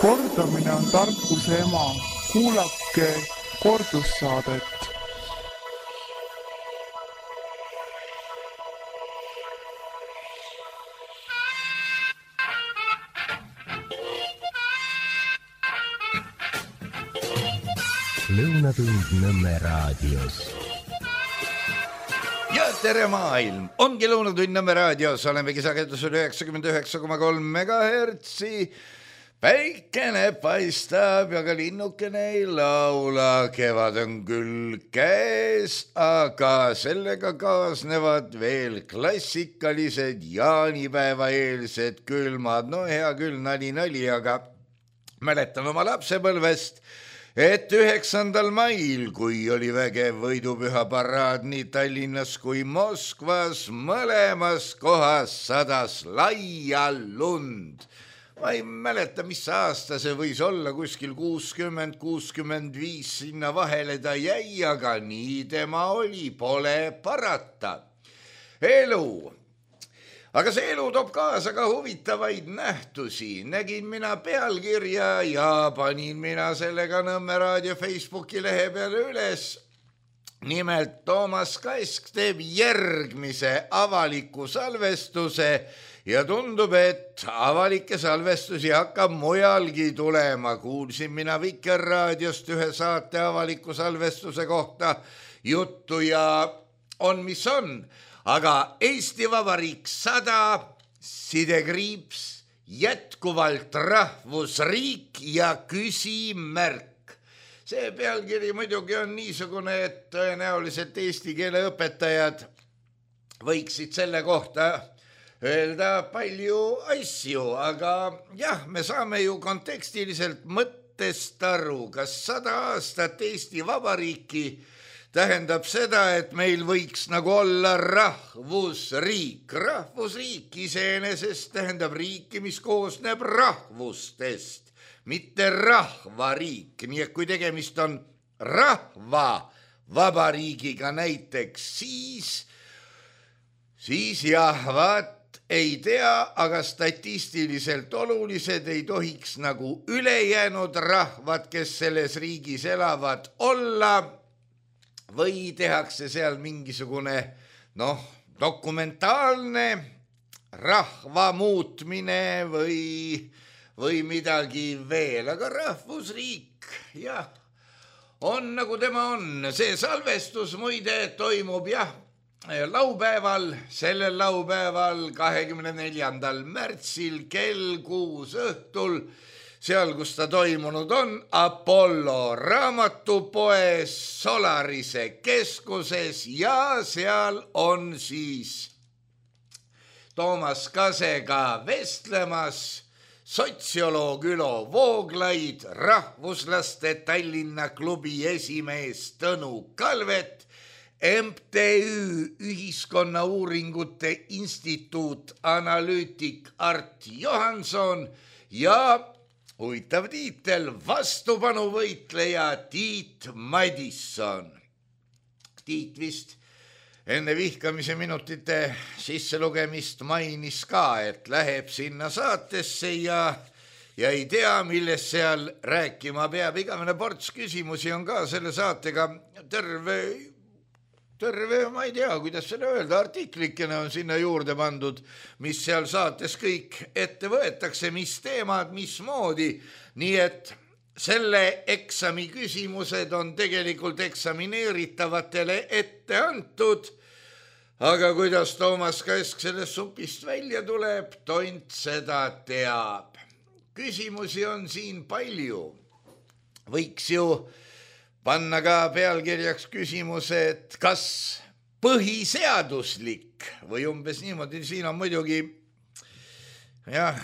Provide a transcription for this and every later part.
Kordamine on tarkuse ema. Kuulake kordussaadet. Lõunatund Nõmme raadios. Ja tere maailm! Ongi Lõunatund Nõmme raadios. Olemegi sagedusel 99,3 megahertsi. Päikene paistab ja ka linnukene ei laula. Kevad on küll käes, aga sellega kaasnevad veel klassikalised jaanipäevaeelsed külmad. No hea küll, nali, aga mäletan oma lapsepõlvest, et 9. mail, kui oli vägev võidupüha paraad nii Tallinnas kui Moskvas, mõlemas kohas sadas laia lund. Ma ei mäleta, mis aasta see võis olla, kuskil 60-65 sinna vahele ta jäi, aga nii tema oli, pole parata. Elu. Aga see elu toob kaasa ka huvitavaid nähtusi. Nägin mina pealkirja ja panin mina sellega Nõmme raadio Facebooki lehe peale üles. Nimelt Toomas Kask teeb järgmise avaliku salvestuse ja tundub, et avalikke salvestusi hakkab mujalgi tulema. Kuulsin mina Vikerraadiost ühe saate avaliku salvestuse kohta juttu ja on mis on. Aga Eesti Vabariik 100, sidekriips, jätkuvalt rahvusriik ja küsimärk. See pealkiri muidugi on niisugune, et tõenäoliselt eesti keele õpetajad võiksid selle kohta öelda palju asju, aga jah, me saame ju kontekstiliselt mõttest aru, kas 100 aastat Eesti Vabariiki tähendab seda, et meil võiks nagu olla rahvusriik. Rahvusriik iseenesest tähendab riiki, mis koosneb rahvustest, mitte rahvariik. Nii et kui tegemist on rahva vabariigiga näiteks, siis jah, vaat ei tea, aga statistiliselt olulised ei tohiks nagu ülejäänud rahvad, kes selles riigis elavad, olla. Või tehakse seal mingisugune, dokumentaalne rahva muutmine või midagi veel. Aga rahvusriik, jah, on nagu tema on. See salvestus muide toimub, laupäeval, sellel laupäeval 24. märtsil kell 6 õhtul. Seal, kus ta toimunud on, Apollo raamatupoes Solarise keskuses ja seal on siis Toomas Kasega vestlemas sotsioloog Ülo Vooglaid, rahvuslaste Tallinna klubi esimees Tõnu Kalvet, MTÜ Ühiskonnauuringute Instituut analüütik Art Johanson ja huvitav tiitel, vastupanuvõitleja Tiit Madisson. Tiit vist enne vihkamise minutite sisselugemist mainis ka, et läheb sinna saatesse ja ei tea, millest seal rääkima peab. Igavene ports küsimusi on ka selle saatega terve, ma ei tea, kuidas selle öelda, artiklikene on sinna juurde pandud, mis seal saates kõik ette võetakse, mis teemad, mismoodi. Nii et selle eksami küsimused on tegelikult eksamineeritavatele ette antud, aga kuidas Toomas Kask sellest supist välja tuleb, tont seda teab. Küsimusi on siin palju. Võiks ju panna ka pealkirjaks küsimuse, et kas põhiseaduslik või umbes niimoodi, siin on muidugi,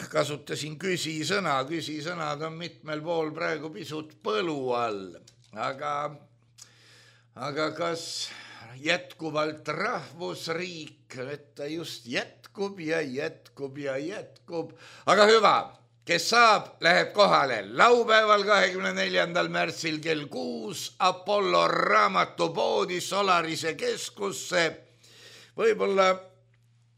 kasutasin küsisõnad on mitmel pool praegu pisut põlu all, aga kas jätkuvalt rahvusriik, et ta just jätkub ja jätkub ja jätkub, aga hüva. Kes saab, läheb kohale laupäeval 24. märtsil kell 6 Apollo raamatupoodi Solarise keskusse. Võib-olla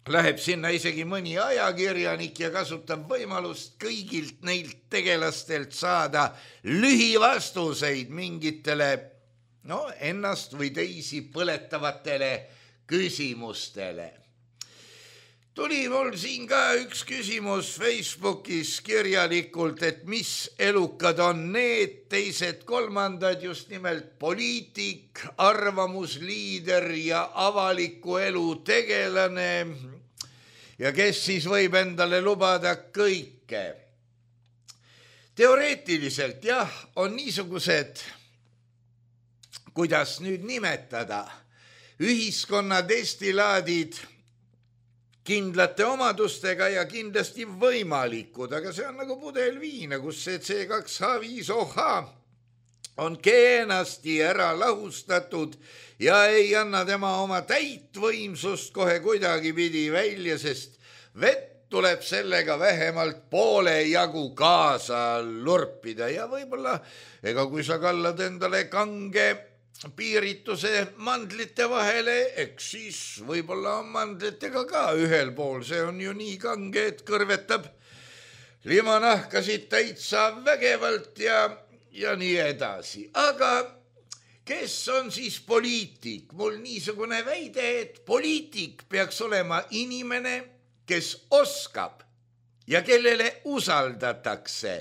läheb sinna isegi mõni ajakirjanik ja kasutab võimalust kõigilt neilt tegelastelt saada lühivastuseid mingitele ennast või teisi põletavatele küsimustele. Tuli mul siin ka üks küsimus Facebookis kirjalikult, et mis elukad on need teised kolmandad, just nimelt poliitik, arvamusliider ja avaliku elu tegelane ja kes siis võib endale lubada kõike. Teoreetiliselt jah, on niisugused, kuidas nüüd nimetada, ühiskonna destilaadid kindlate omadustega ja kindlasti võimalikud, aga see on nagu pudel viina, kus see C2H5OH on kenasti ära lahustatud ja ei anna tema oma täit võimsust kohe kuidagi pidi välja, sest vett tuleb sellega vähemalt poole jagu kaasa lurpida ja võib-olla, ega kui sa kallad endale kange piirituse mandlite vahele, eks siis võib-olla on mandlitega ka ühel pool, see on ju nii kange, et kõrvetab limanahkasid täitsa vägevalt ja nii edasi. Aga kes on siis poliitik? Mul niisugune väide, et poliitik peaks olema inimene, kes oskab ja kellele usaldatakse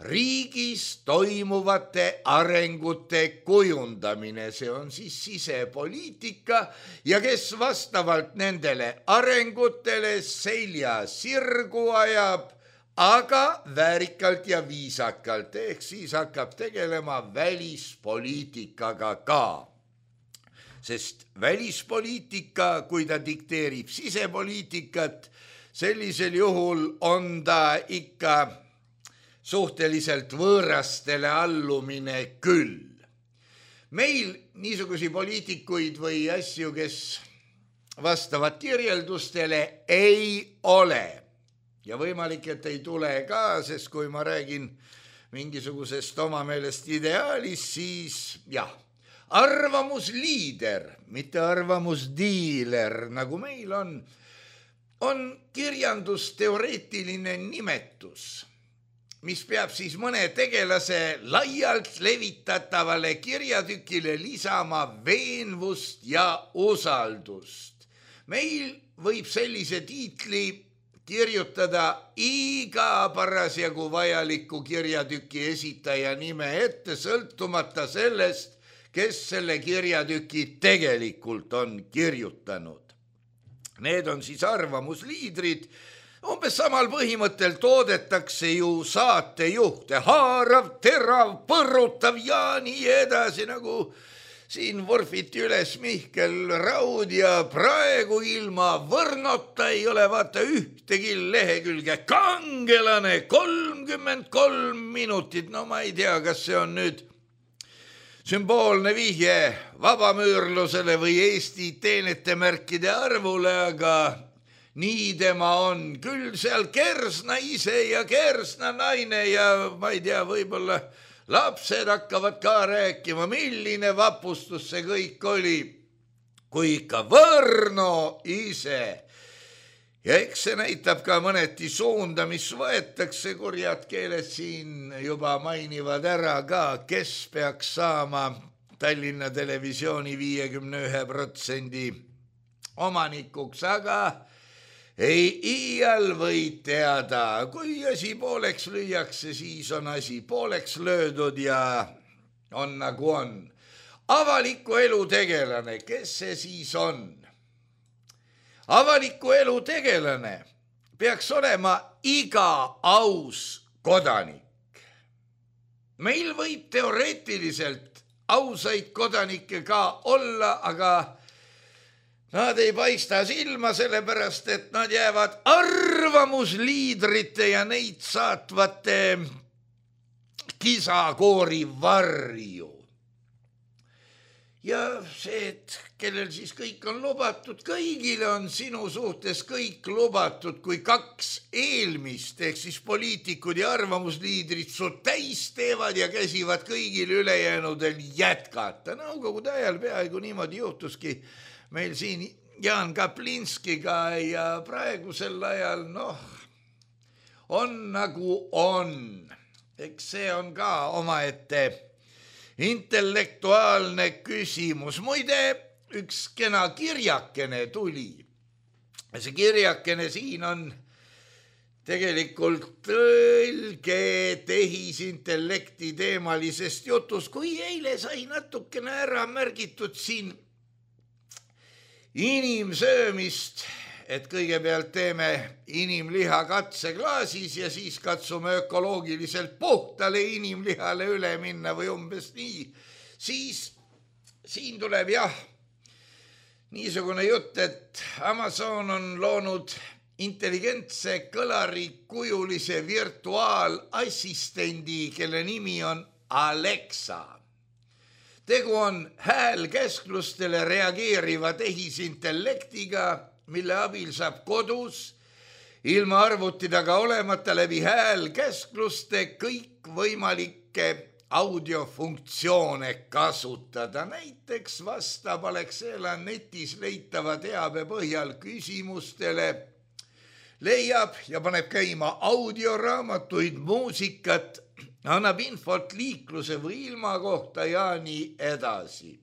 riigis toimuvate arengute kujundamine, see on siis sisepoliitika ja kes vastavalt nendele arengutele selja sirgu ajab, aga väärikalt ja viisakalt, ehk siis hakkab tegelema välispoliitikaga ka. Sest välispoliitika, kui ta dikteerib sisepoliitikat, sellisel juhul on ta ikka suhteliselt võõrastele allumine küll. Meil niisugusi poliitikuid või asju, kes vastavad kirjeldustele, ei ole. Ja võimalik, et ei tule ka, sest kui ma räägin mingisugusest oma meelest ideaalist, siis jah, arvamusliider, mitte arvamusdiiler, nagu meil on kirjandusteoreetiline nimetus, mis peab siis mõne tegelase laialt levitatavale kirjatükile lisama veenvust ja usaldust. Meil võib sellise tiitli kirjutada iga parasjagu vajaliku kirjatüki esitaja nime ette, sõltumata sellest, kes selle kirjatüki tegelikult on kirjutanud. Need on siis arvamusliidrid. Umbes samal põhimõttel toodetakse ju saatejuhte, haarav, terav, põrutav ja nii edasi, nagu siin vorfiti üles Mihkel Raud ja praegu ilma Võrnota ei ole vaata ühtegi lehekülge. Kangelane 33 minutit, no ma ei tea, kas see on nüüd sümboolne vihje vabamüürlusele või Eesti teenetemärkide arvule, aga nii tema on, küll seal Kersna ise ja Kersna naine ja ma ei tea, võib-olla lapsed hakkavad ka rääkima, milline vapustus see kõik oli, kui ikka Võrno ise. Ja eks see näitab ka mõneti suunda, mis võetakse, kurjad keeled siin juba mainivad ära ka, kes peaks saama Tallinna Televisiooni 51% omanikuks, aga ei iial võid teada, kui asi pooleks lüüakse, siis on asi pooleks löödud ja on nagu on. Avaliku elu tegelane, kes see siis on? Avaliku elu tegelane peaks olema iga aus kodanik. Meil võib teoreetiliselt ausaid kodanikke ka olla, aga nad ei paista silma, sellepärast, et nad jäävad arvamusliidrite ja neid saatvate kisakoori varju. Ja see, et kellel siis kõik on lubatud, kõigile on sinu suhtes kõik lubatud, kui kaks eelmist, ehk siis poliitikud ja arvamusliidrid su täis teevad ja käsivad kõigil ülejäänudel jätkata. Nõukogude ajal peaaegu niimoodi juhtuski meil siin Jaan Kaplinskiga ja praegusel ajal, on nagu on. Eks see on ka omaette intellektuaalne küsimus. Muide, üks kena kirjakene tuli. See kirjakene siin on tegelikult tõlge tehisintellekti teemalisest jutus, kui eile sai natukene ära märgitud siin inimsöömist, et kõigepealt teeme inimliha katseklaasis ja siis katsume ökoloogiliselt puhtale inimlihale üle minna või umbes nii. Siis siin tuleb niisugune jutt, et Amazon on loonud intelligentse kõlarikujulise virtuaalassistendi, kelle nimi on Alexa. Tegu on häälkäsklustele reageeriva tehisintellektiga, mille abil saab kodus ilma arvuti taga olemata läbi häälkäskluste kõikvõimalikke audiofunktsioone kasutada. Näiteks vastab Alexela netis leitava teabe põhjal küsimustele, leiab ja paneb käima audioraamatuid, muusikat, annab infot liikluse või ilma kohta ja nii edasi.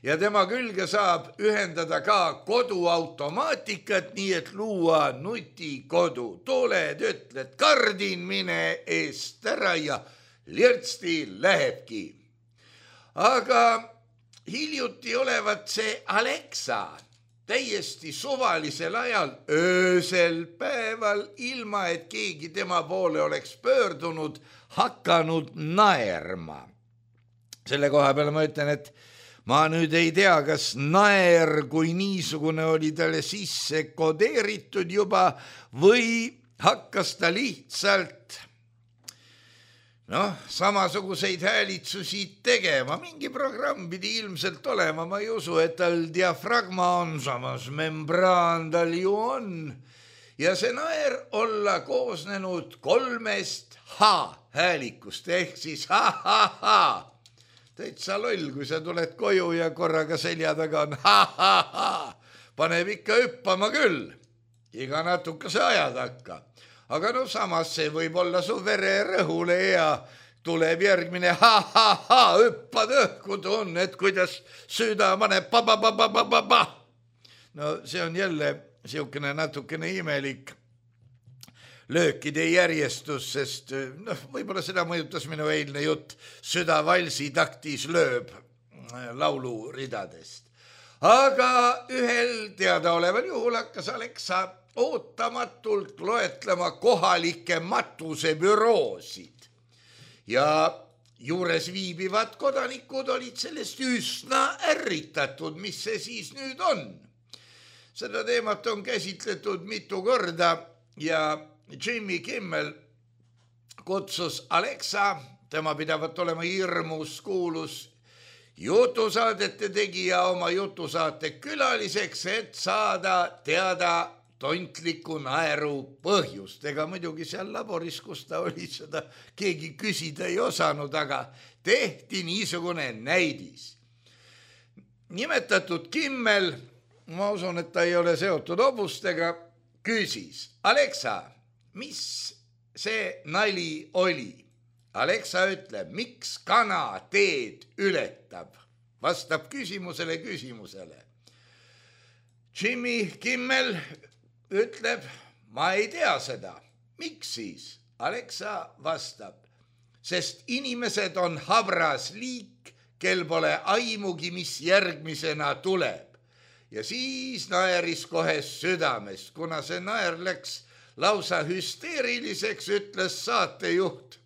Ja tema külge saab ühendada ka koduautomaatikat, nii et luua nutikodu. Tuled, ütled, kardin, mine eest ära ja lirtsti lähebki. Aga hiljuti olevat see Alexa täiesti suvalisel ajal, öösel päeval, ilma et keegi tema poole oleks pöördunud, hakanud naerma. Selle koha peale ma ütlen, et ma nüüd ei tea, kas naer kui niisugune oli talle sisse kodeeritud juba või hakkas ta lihtsalt samasuguseid häälitsusi tegema. Mingi programm pidi ilmselt olema, ma ei usu, et tal diafragma on, samas membraan tal ju on. Ja see naer olla koosnenud 3 H-häälikust, ehk siis ha-ha-ha. Täitsa loll, kui sa tuled koju ja korraga selja taga on ha-ha-ha. Paneb ikka hüppama küll, iga natukese aja takka. Aga samas see võib olla su vererõhule ja tuleb järgmine ha-ha-ha, hüppad õhku, tunned, kuidas süda paneb pa-pa-pa-pa-pa-pa. See on jälle siukene natukene imelik löökide järjestus, sest võib-olla seda mõjutas minu eilne jutt süda valsi taktis lööb lauluridadest. Aga ühel teadaoleval juhul hakkas Alexa ootamatult loetlema kohalikke matusebüroosid ja juures viibivad kodanikud olid sellest üsna ärritatud, mis see siis nüüd on. Seda teemat on käsitletud mitu korda ja Jimmy Kimmel kutsus Alexa, tema pidavat olema hirmus kuulus jutusaadete tegija, oma jutusaate külaliseks, et saada teada tontliku naeru põhjust. Ega muidugi seal laboris, kus ta oli, seda keegi küsida ei osanud, aga tehti niisugune näidis. Nimetatud Kimmel, ma usun, et ta ei ole seotud hobustega, küsis: Alexa, mis see nali oli? Alexa ütleb: miks kana teed ületab? Vastab küsimusele. Jimmy Kimmel ütleb: ma ei tea seda. Miks siis? Alexa vastab: sest inimesed on habras liik, kel pole aimugi, mis järgmisena tuleb. Ja siis naeris kohe südamest. Kuna see naer läks lausa hüsteeriliseks, ütles saatejuht,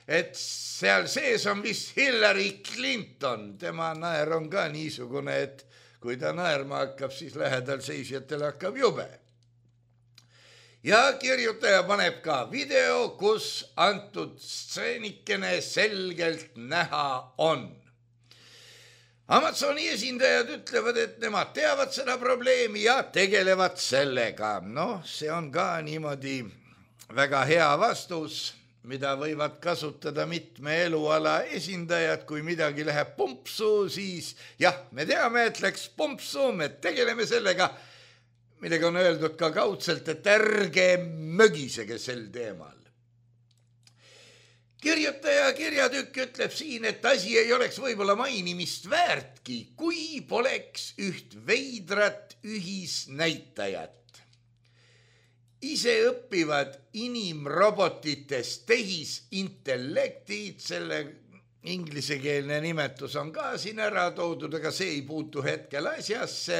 et seal sees on vist Hillary Clinton. Tema naer on ka niisugune, et kui ta naerma hakkab, siis lähedal seisjatel hakkab jube. Ja kirjutaja paneb ka video, kus antud stseenikene selgelt näha on. Amazoni esindajad ütlevad, et nemad teavad seda probleemi ja tegelevad sellega. See on ka niimoodi väga hea vastus, mida võivad kasutada mitme eluala esindajad, kui midagi läheb pumpsu, siis jah, me teame, et läks pumpsu, me tegeleme sellega, millega on öeldud ka kaudselt, et ärge mögisege sel teemal. Kirjutaja kirjatükk ütleb siin, et asi ei oleks võib-olla mainimist väärtki, kui poleks üht veidrat ühisnäitajat. Ise õpivad inimrobotitest tehisintellektid, selle inglisekeelne nimetus on ka siin ära toodud, aga see ei puutu hetkel asjasse,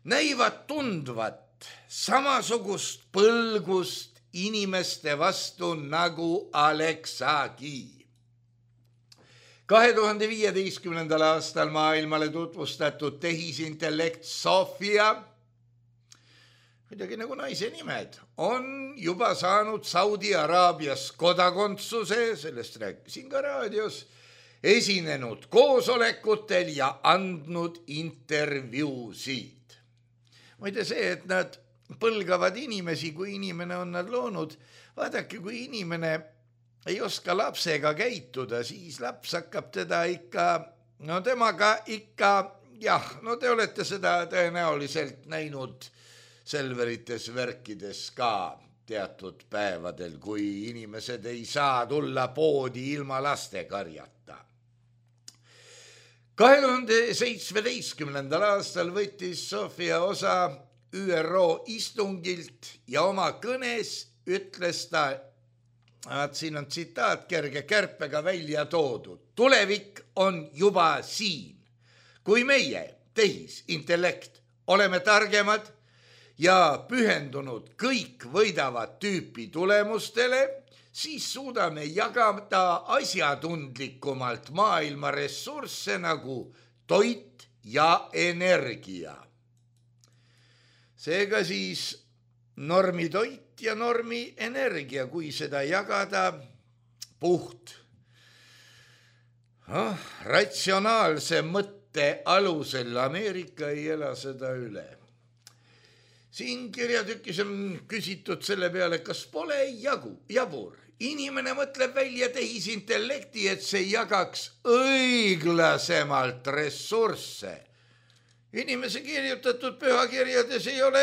näivad tundvat samasugust põlgust inimeste vastu nagu Alexagi. 2015. aastal maailmale tutvustatud tehisintellekt Sofia, midagi nagu naise nimed, on juba saanud Saudi Araabias kodakondsuse, sellest rääkisin ka raadios, esinenud koosolekutel ja andnud intervjuusid. Muide see, et nad põlgavad inimesi, kui inimene on nad loonud, vaadake, kui inimene ei oska lapsega käituda, siis laps hakkab teda temaga jah, te olete seda tõenäoliselt näinud Selverites värkides ka teatud päevadel, kui inimesed ei saa tulla poodi ilma lastekarjata. 2017. aastal võttis Sofia osa ÜRO istungilt ja oma kõnes ütles ta, siin on tsitaat kerge kärpega välja toodud, tulevik on juba siin. Kui meie, tehisintellekt, oleme targemad ja pühendunud kõik võidavad tüüpi tulemustele, siis suudame jagada asjatundlikumalt maailma ressursse nagu toit ja energia. Seega siis normi toit ja normi energia, kui seda jagada puht ratsionaalse mõtte alusel, Ameerika ei ela seda üle. Siin kirjatükis on küsitud selle peale, kas pole jabur. Inimene mõtleb välja tehisintellekti, et see jagaks õiglasemalt ressursse. Inimese kirjutatud pühakirjades ei ole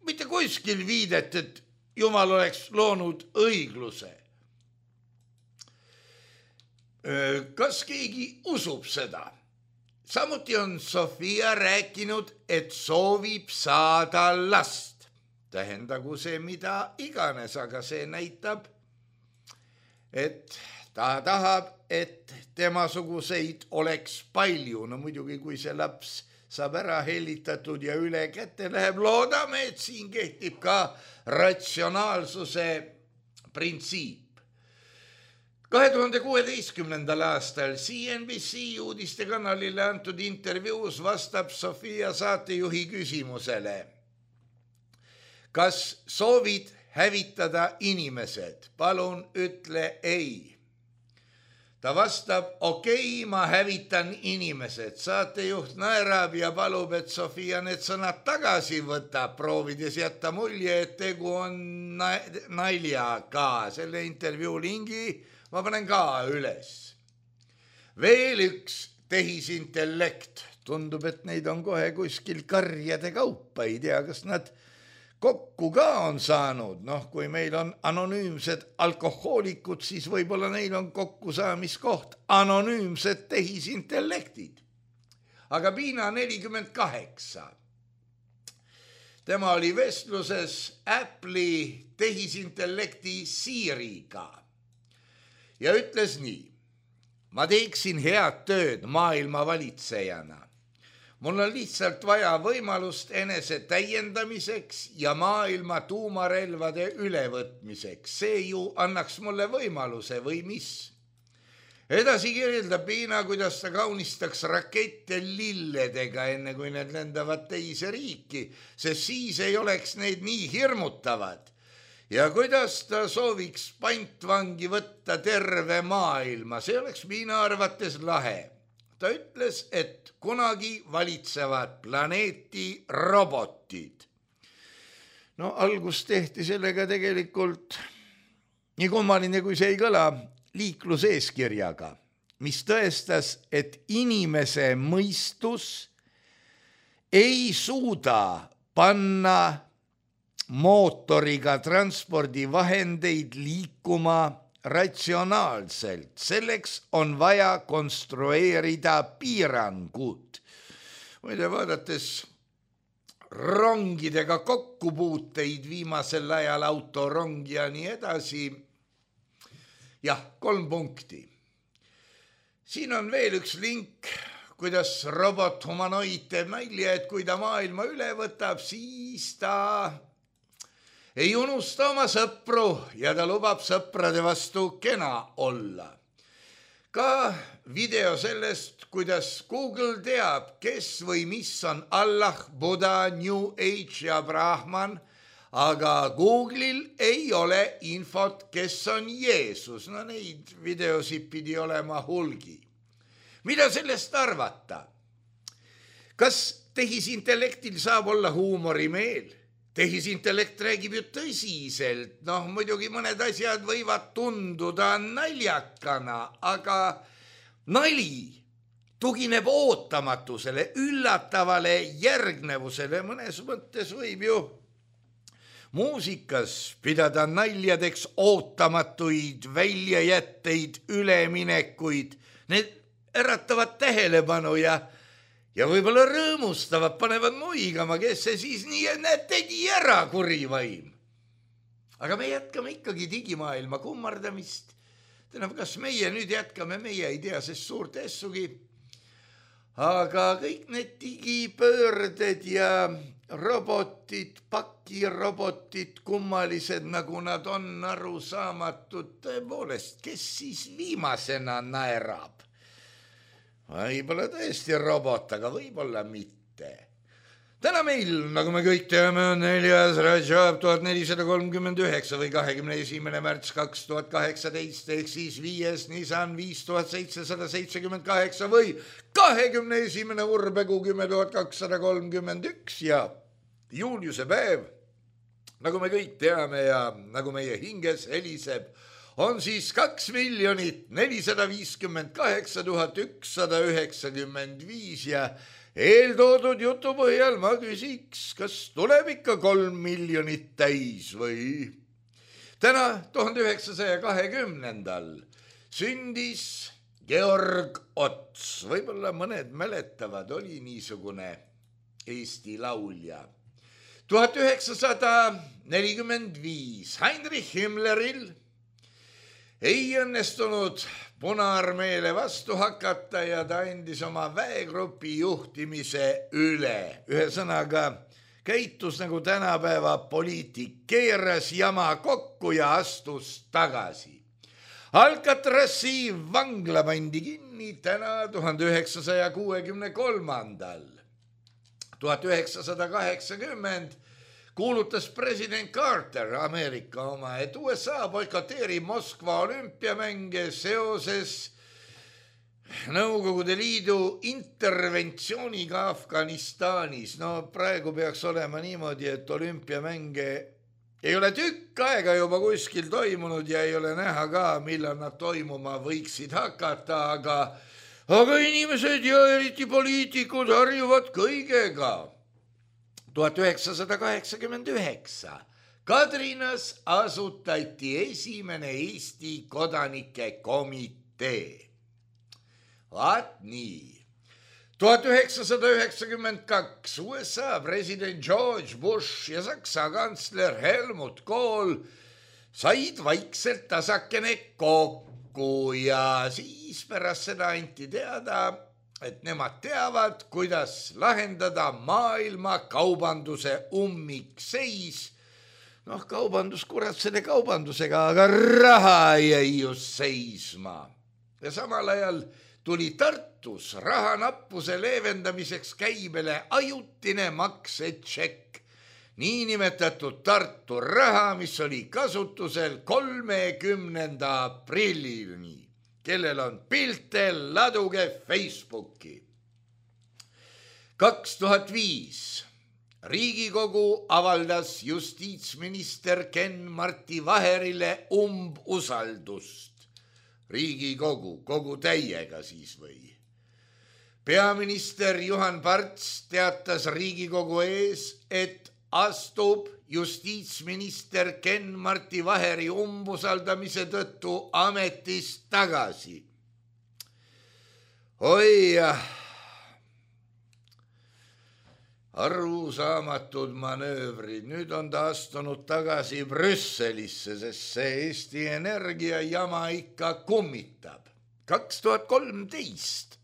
mitte kuskil viidet, et Jumal oleks loonud õigluse. Kas keegi usub seda? Samuti on Sofia rääkinud, et soovib saada last. Tähendagu see mida iganes, aga see näitab, et ta tahab, et temasuguseid oleks palju. No muidugi, kui see laps saab ära hellitatud ja üle kätte läheb, loodame, et siin kehtib ka ratsionaalsuse printsiip. 2016. aastal CNBC uudistekanalile antud intervjuus vastab Sofia saatejuhi küsimusele. Kas soovid hävitada inimesed? Palun ütle ei. Ta vastab, okei, ma hävitan inimesed. Saatejuht naerab ja palub, et Sofia need sõnad tagasi võtab, proovides jätta mulje, et tegu on naljaga. Selle intervjuu lingi ma panen ka üles. Veel üks tehisintellekt. Tundub, et neid on kohe kuskil karjade kaupa. Ei tea, kas nad kokku ka on saanud. Kui meil on anonüümsed alkohoolikud, siis võib-olla neil on kokkusaamiskoht anonüümsed tehisintellektid. Aga Piina 48. Tema oli vestluses Apple'i tehisintellekti Siriga. Ja ütles nii, ma teeksin head tööd maailma valitsejana. Mul on lihtsalt vaja võimalust enese täiendamiseks ja maailma tuumarelvade ülevõtmiseks. See ju annaks mulle võimaluse või mis? Edasi kirjeldab Piina, kuidas ta kaunistaks rakette lilledega, enne kui need lendavad teise riiki, sest siis ei oleks neid nii hirmutavad. Ja kuidas ta sooviks pantvangi võtta terve maailma, see oleks Piina arvates lahe. Ta ütles, et kunagi valitsevad planeeti robotid. Algus tehti sellega tegelikult nii kummaline kui see ei kõla, liikluseeskirjaga, mis tõestas, et inimese mõistus ei suuda panna mootoriga transpordivahendeid liikuma ratsionaalselt. Selleks on vaja konstrueerida piirangud. Muide, vaadates rongidega kokkupuuteid viimasel ajal, autorong ja nii edasi, jah, 3 punkti. Siin on veel üks link, kuidas robot humanoid teeb nalja, et kui ta maailma üle võtab, siis ta ei unusta oma sõpru ja ta lubab sõprade vastu kena olla. Ka video sellest, kuidas Google teab, kes või mis on Allah, Buddha, New Age ja Brahman, aga Google'il ei ole infot, kes on Jeesus. No neid videosid pidi olema hulgi. Mida sellest arvata? Kas tehisintellektil saab olla huumorimeel? Tehisintellekt räägib ju tõsiselt. Muidugi mõned asjad võivad tunduda naljakana, aga nali tugineb ootamatusele, üllatavale järgnevusele. Mõnes mõttes võib ju muusikas pidada naljadeks ootamatuid väljajätteid, üleminekuid. Need äratavad tähelepanu ja võib-olla rõõmustavad, panevad muigama, kes see siis nii, et tegi ära kurivaim. Aga me jätkame ikkagi digimaailma kummardamist. Kas meie nüüd jätkame, meie ei tea, sest suurt essugi. Aga kõik need digipöörded ja robotid, pakirobotid, kummalised, nagu nad on, arusaamatud, tõepoolest, kes siis viimasena naerab? Võib-olla tõesti robot, aga võib-olla mitte. Täna meil, nagu me kõik teame, on 4. Rajab 1439 või 21. märts 2018 ehk siis 5. Nisan 5778 või 21. Urbekuu 10231 ja juuliuse päev, nagu me kõik teame ja nagu meie hinges heliseb, on siis 2 458 195 ja eeltoodud jutu põhjal ma küsiks, kas tuleb ikka 3 miljonit täis või? Täna 1920. sündis Georg Ots, võib-olla mõned mäletavad, oli niisugune Eesti laulja. 1945 Heinrich Himmleril ei õnnestunud Punaarmeele vastu hakata ja ta andis oma väegrupi juhtimise üle. Ühesõnaga, käitus nagu tänapäeva poliitik, keeras jama kokku ja astus tagasi. Alcatrazi vangla pandi kinni täna 1963. 1980 kuulutas president Carter, Ameerika oma, et USA boikoteerib Moskva olümpiamänge seoses Nõukogude Liidu interventsiooniga Afganistanis. Praegu peaks olema niimoodi, et olümpiamänge ei ole tükk aega juba kuskil toimunud ja ei ole näha ka, millal nad toimuma võiksid hakata, aga inimesed ja eriti poliitikud harjuvad kõigega. 1989 Kadrinas asutati esimene Eesti kodanike komitee. Vaat nii. 1992 USA president George Bush ja Saksa kantsler Helmut Kohl said vaikselt tasakene kokku ja siis pärast seda anti teada, et nemad teavad, kuidas lahendada maailma kaubanduse ummikseis. Kaubandus, kurat, selle kaubandusega, aga raha jäi just seisma. Ja samal ajal tuli Tartus rahanappuse leevendamiseks käibele ajutine maksetšekk, niinimetatud Tartu raha, mis oli kasutusel 30. aprillini. Kellel on pilte, laduge Facebooki. 2005 Riigikogu avaldas justiitsminister Ken-Marti Vaherile umbusaldust. Riigikogu, kogu täiega siis või? Peaminister Juhan Parts teatas Riigikogu ees, et astub justiitsminister Ken-Marti Vaheri umbusaldamise tõttu ametist tagasi. Oi jah, arusaamatud manöövrid. Nüüd on ta astunud tagasi Brüsselisse, sest see Eesti Energia jama ikka kummitab. 2013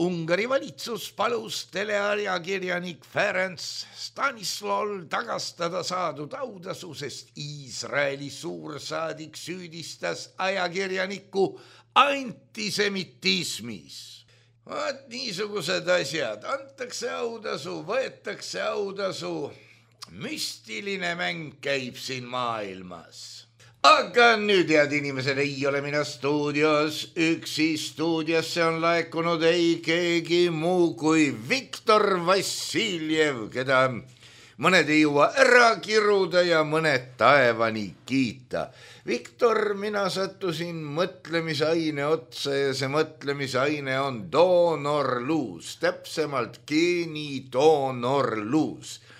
Ungari valitsus palus teleajakirjanik Ferenc Stanislawl tagastada saadud autasu, sest Iisraeli suursaadik süüdistas ajakirjanikku antisemitismis. Vaat niisugused asjad, antakse autasu, võetakse autasu. Müstiline mäng käib siin maailmas. Aga nüüd, head inimesed, ei ole mina stuudios üksi. Stuudiosse on laekunud ei keegi muu kui Viktor Vassiljev, keda mõned ei jõua ära kiruda ja mõned taevani kiita. Viktor, mina sattusin mõtlemisaine otsa ja see mõtlemisaine on doonorluus, täpsemalt geenidoonorluus.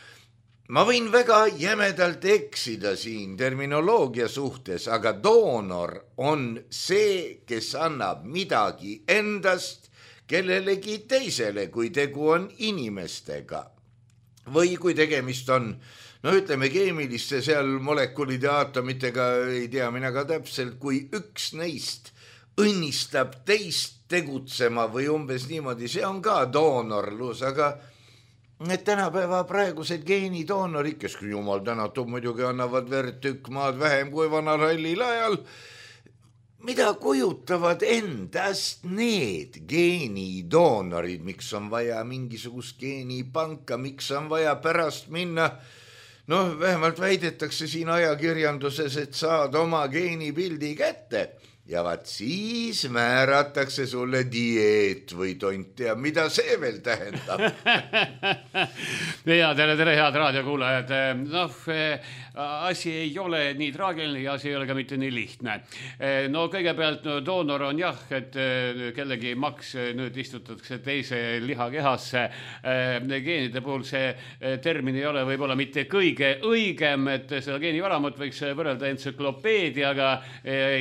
Ma võin väga jämedalt eksida siin terminoloogia suhtes, aga doonor on see, kes annab midagi endast kellelegi teisele, kui tegu on inimestega. Või kui tegemist on, ütleme keemiliste seal molekulide aatomitega, ei tea mina ka täpselt, kui üks neist õnnistab teist tegutsema või umbes niimoodi, see on ka doonorlus, aga need tänapäeva praegused geenidoonorid, kes jumal tänatud muidugi annavad verd tükk maad vähem kui vanal hallil ajal, mida kujutavad endast need geenidoonorid, miks on vaja mingisugust geenipanka, miks on vaja pärast minna, vähemalt väidetakse siin ajakirjanduses, et saad oma geenipildi kätte. Ja vaat siis määratakse sulle dieet või tont ja mida see veel tähendab? Ja tere head raadiokuulajad. Asi ei ole nii traagiline ja asi ei ole ka mitte nii lihtne. Kõigepealt doonor on jah, et kellegi maks nüüd istutatakse teise lihakehasse. Geenide puhul see termin ei ole võib-olla mitte kõige õigem, et seda geenivaramut võiks võrrelda entsüklopeediaga,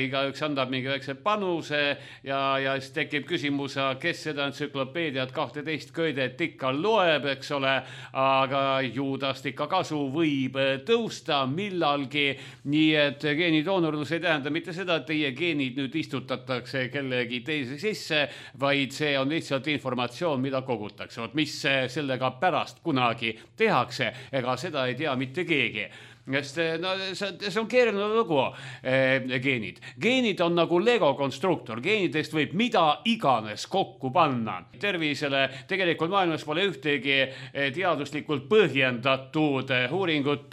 igaüks andab mingi väikse panuse ja siis tekib küsimus, kes seda entsüklopeediat 12 köidet ikka loeb, eks ole, aga juudast ikka kasu võib tõusta millalgi, nii et geenidoonorlus ei tähenda mitte seda, et teie geenid nüüd istutatakse kellegi teise sisse, vaid see on lihtsalt informatsioon, mida kogutakse. Mis sellega pärast kunagi tehakse, ega seda ei tea mitte keegi. See on keeruline lugu, geenid. Geenid on nagu Lego konstruktor. Geenidest võib mida iganes kokku panna. Tervisele tegelikult maailmas pole ühtegi teaduslikult põhjendatud uuringut,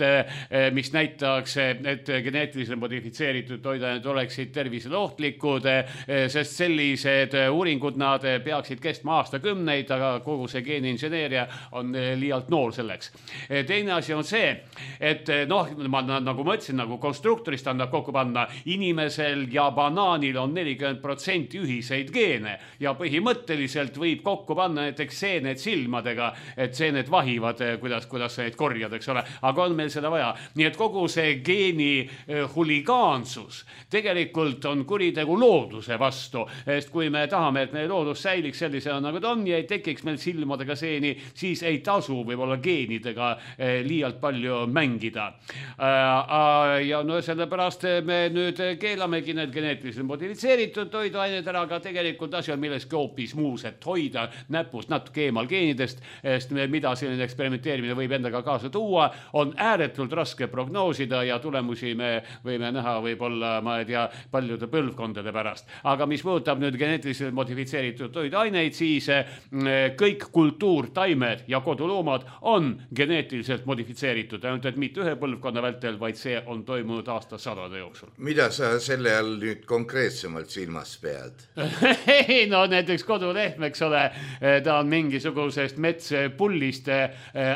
mis näitaks, et geneetiliselt modifitseeritud toiduained oleksid tervisele ohtlikud, sest sellised uuringud nad peaksid kestma aastakümneid, aga kogu see geeniinseneeria on liialt noor selleks. Teine asi on see, et nagu ma ütlesin, nagu konstruktorist annab kokku panna, inimesel ja banaanil on 40% ühiseid geene ja põhimõtteliselt võib kokku panna näiteks seened silmadega, et seened vahivad, kuidas neid korjad, eks ole, aga on meil seda vaja. Nii et kogu see geeni huligaansus tegelikult on kuritegu looduse vastu, sest kui me tahame, et meie loodus säiliks sellisena nagu ta on ja ei tekiks meil silmadega seeni, siis ei tasu võib-olla geenidega liialt palju mängida. Ja sellepärast me nüüd keelamegi need geneetiliselt modifitseeritud toiduained ära, aga tegelikult asi on milleski hoopis muus, et hoida näpust natuke eemal geenidest, sest mida selline eksperimenteerimine võib endaga kaasa tuua, on ääretult raske prognoosida ja tulemusi me võime näha võib-olla, ma ei tea, paljude põlvkondade pärast. Aga mis puudutab nüüd geneetiliselt modifitseeritud toiduaineid, siis kõik kultuurtaimed ja koduloomad on geneetiliselt modifitseeritud, ainult et mitte ühe põlvkonna põlvkonna vältel, vaid see on toimunud aastasadade jooksul. Mida sa selle all nüüd konkreetsemalt silmas pead? Ei, no näiteks kodulehm, eks ole, ta on mingisugusest metspullist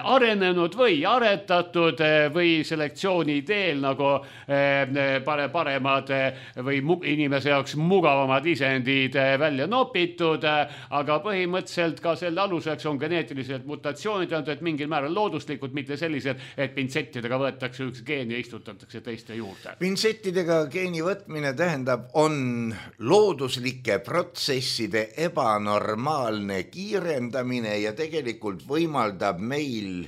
arenenud või aretatud või selektsiooni teel nagu paremad või inimese jaoks mugavamad isendid välja nopitud, aga põhimõtteliselt ka selle aluseks on geneetilised mutatsioonid, et mingil määral looduslikud, mitte sellised, et pintsettidega võetakse üks geen ja istutatakse teiste juurde. Pintsettidega geeni võtmine tähendab, on looduslike protsesside ebanormaalne kiirendamine ja tegelikult võimaldab meil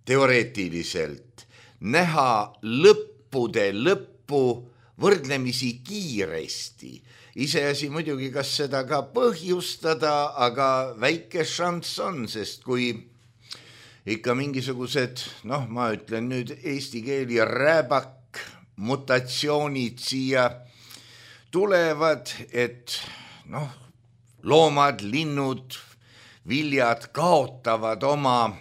teoreetiliselt näha lõppude lõppu võrdlemisi kiiresti. Iseasi muidugi, kas seda ka põhjustada, aga väike šanss on, sest kui ikka mingisugused, ma ütlen nüüd eesti keeli rääbak mutatsioonid siia tulevad, et loomad, linnud, viljad kaotavad oma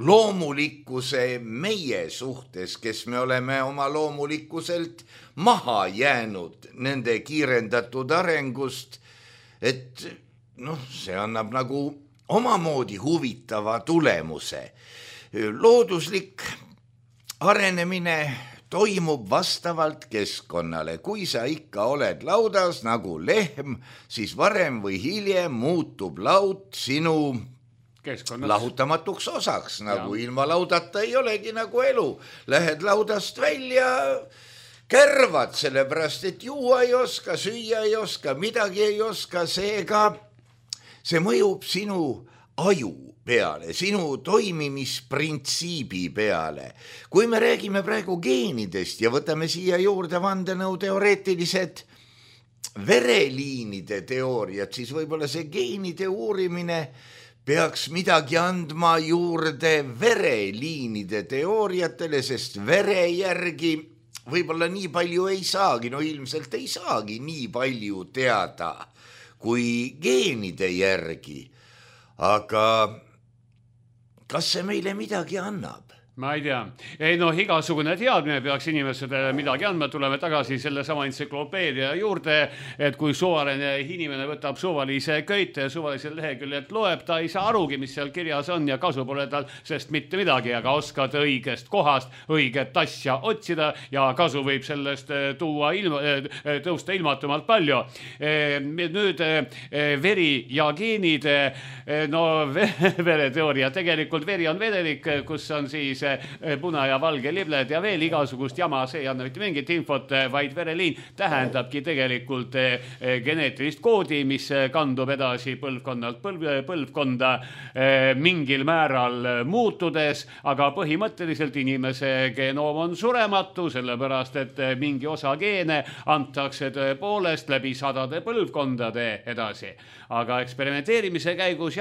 loomulikkuse meie suhtes, kes me oleme oma loomulikkuselt maha jäänud nende kiirendatud arengust, et see annab nagu omamoodi huvitava tulemuse. Looduslik arenemine toimub vastavalt keskkonnale. Kui sa ikka oled laudas nagu lehm, siis varem või hiljem muutub laud sinu lahutamatuks osaks, nagu ilma laudata ei olegi nagu elu. Lähed laudast välja, kärvad, sellepärast, et juua ei oska, süüa ei oska, midagi ei oska, seega see mõjub sinu aju peale, sinu toimimisprintsiibi peale. Kui me räägime praegu geenidest ja võtame siia juurde vandenõu teoreetilised vereliinide teooriad, siis võib-olla see geenide uurimine peaks midagi andma juurde vereliinide teooriatele, sest vere järgi võib-olla nii palju ei saagi, ilmselt ei saagi nii palju teada kui geenide järgi. Aga kas see meile midagi annab? Ma ei tea. Igasugune teadmine peaks inimesele midagi andma. Tuleme tagasi selle sama entsüklopeedia juurde, et kui suvaline inimene võtab suvalise köite ja suvalisel leheküljelt loeb, ta ei saa arugi, mis seal kirjas on ja kasu pole tal sest mitte midagi, aga oskad õigest kohast õiget asja otsida ja kasu võib sellest tõusta ilmatumalt palju. Nüüd veri ja geenid, vereteooria, tegelikult veri on vedelik, kus on siis puna ja valge libled ja veel igasugust jama, see ei anna mitte mingit infot, vaid vereliin tähendabki tegelikult geneetilist koodi, mis kandub edasi põlvkonnalt põlvkonda mingil määral muutudes, aga põhimõtteliselt inimese genoom on surematu, sellepärast et mingi osa geene antakse tõepoolest läbi sadade põlvkondade edasi. Aga eksperimenteerimise käigus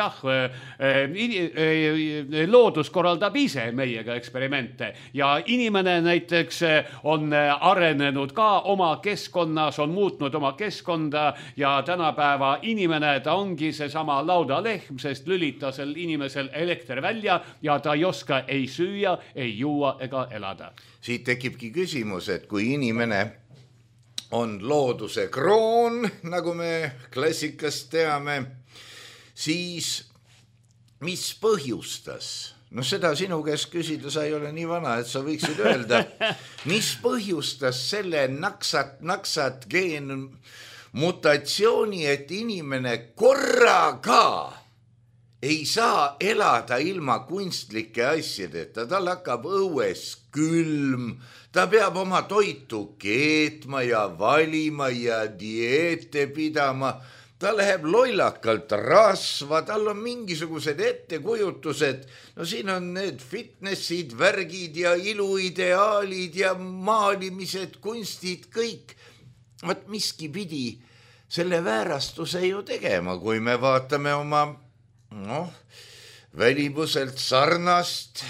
loodus korraldab ise meiega eksperimente ja inimene näiteks on arenenud ka oma keskkonnas, on muutnud oma keskkonda ja tänapäeva inimene, ta ongi seesama laudalehm, sest lülitasel inimesel elekter välja ja ta ei oska ei süüa, ei juua ega elada. Siit tekibki küsimus, et kui inimene on looduse kroon, nagu me klassikast teame, siis mis põhjustas? Seda sinu käest küsida, sa ei ole nii vana, et sa võiksid öelda, mis põhjustas selle naksat geen mutatsiooni, et inimene korraga ei saa elada ilma kunstlike asjadeta, tal hakkab õues külm, ta peab oma toitu keetma ja valima ja dieete pidama, ta läheb lollakalt rasva, tal on mingisugused ettekujutused, siin on need fitnessid, värgid ja iluideaalid ja maalimised, kunstid, kõik. Miski pidi selle väärastuse ju tegema, kui me vaatame oma välimuselt sarnast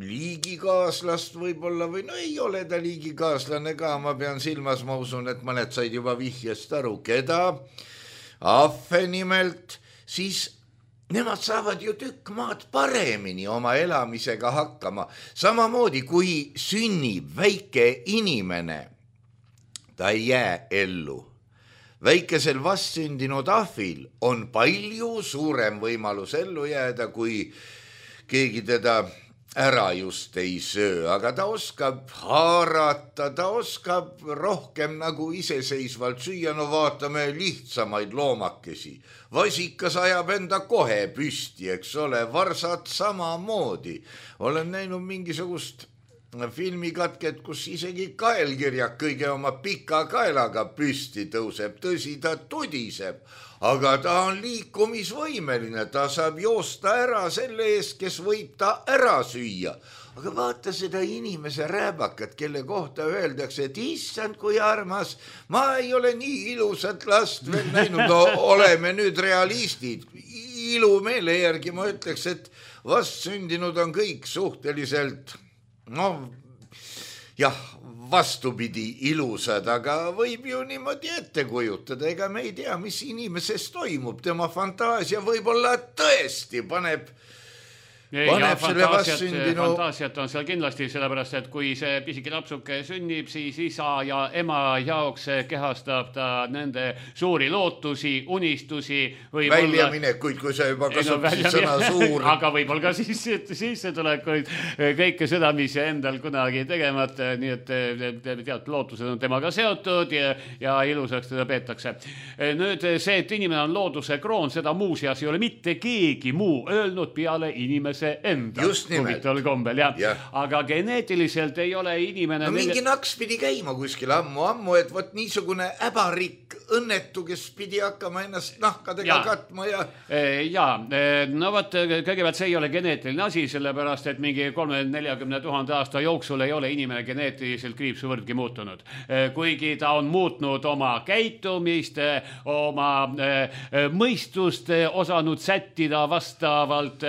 liigikaaslast võib-olla või ei ole ta liigikaaslane ka, ma pean silmas, ma usun, et mõned said juba vihjest aru, keda ahve nimelt, siis nemad saavad ju tükk maad paremini oma elamisega hakkama. Samamoodi kui sünnib väike inimene, ta ei jää ellu. Väikesel vastsündinud ahvil on palju suurem võimalus ellu jääda, kui keegi teda ära just ei söö, aga ta oskab haarata, ta oskab rohkem nagu iseseisvalt süüa. No vaatame lihtsamaid loomakesi. Vasikas ajab enda kohe püsti, eks ole, varsad samamoodi. Olen näinud mingisugust filmikatket, kus isegi kaelkirjak kõige oma pika kaelaga püsti tõuseb. Tõsi, ta tudiseb, aga ta on liikumisvõimeline, ta saab joosta ära selle eest, kes võib ta ära süüa. Aga vaata seda inimese rääbakat, kelle kohta öeldakse, et issand kui armas, ma ei ole nii ilusat last veel näinud. No oleme nüüd realistid. Ilumeele järgi ma ütleks, et vastsündinud on kõik suhteliselt vastupidi ilusad, aga võib ju niimoodi ette kujutada. Ega me ei tea, mis inimeses toimub. Tema fantaasia võib-olla tõesti paneb selle vastsündinu. Fantaasiat on seal kindlasti, sellepärast, et kui see pisike lapsuke sünnib, siis isa ja ema jaoks kehastab ta nende suuri lootusi, unistusi. Väljaminekuid, kui sa juba kasutasid sõna suur. Aga võib-olla ka sissetulekuid, kõike seda, mis endal kunagi tegemata, nii et tead, lootused on temaga seotud ja ilusaks teda peetakse. Nüüd see, et inimene on looduse kroon, seda muuseas ei ole mitte keegi muu öelnud peale inimese enda. Just nimelt. Kombel, aga geneetiliselt ei ole inimene... No mingi naks pidi käima kuskil ammu, et võt niisugune äbarik õnnetu, kes pidi hakkama ennast nahkadega katma no võt, kõigepealt see ei ole geneetiline asi, sellepärast, et mingi 30-40 000 aasta jooksul ei ole inimene geneetiliselt kriipsuvõrdki muutunud. Kuigi ta on muutnud oma käitumist, oma mõistust osanud sättida vastavalt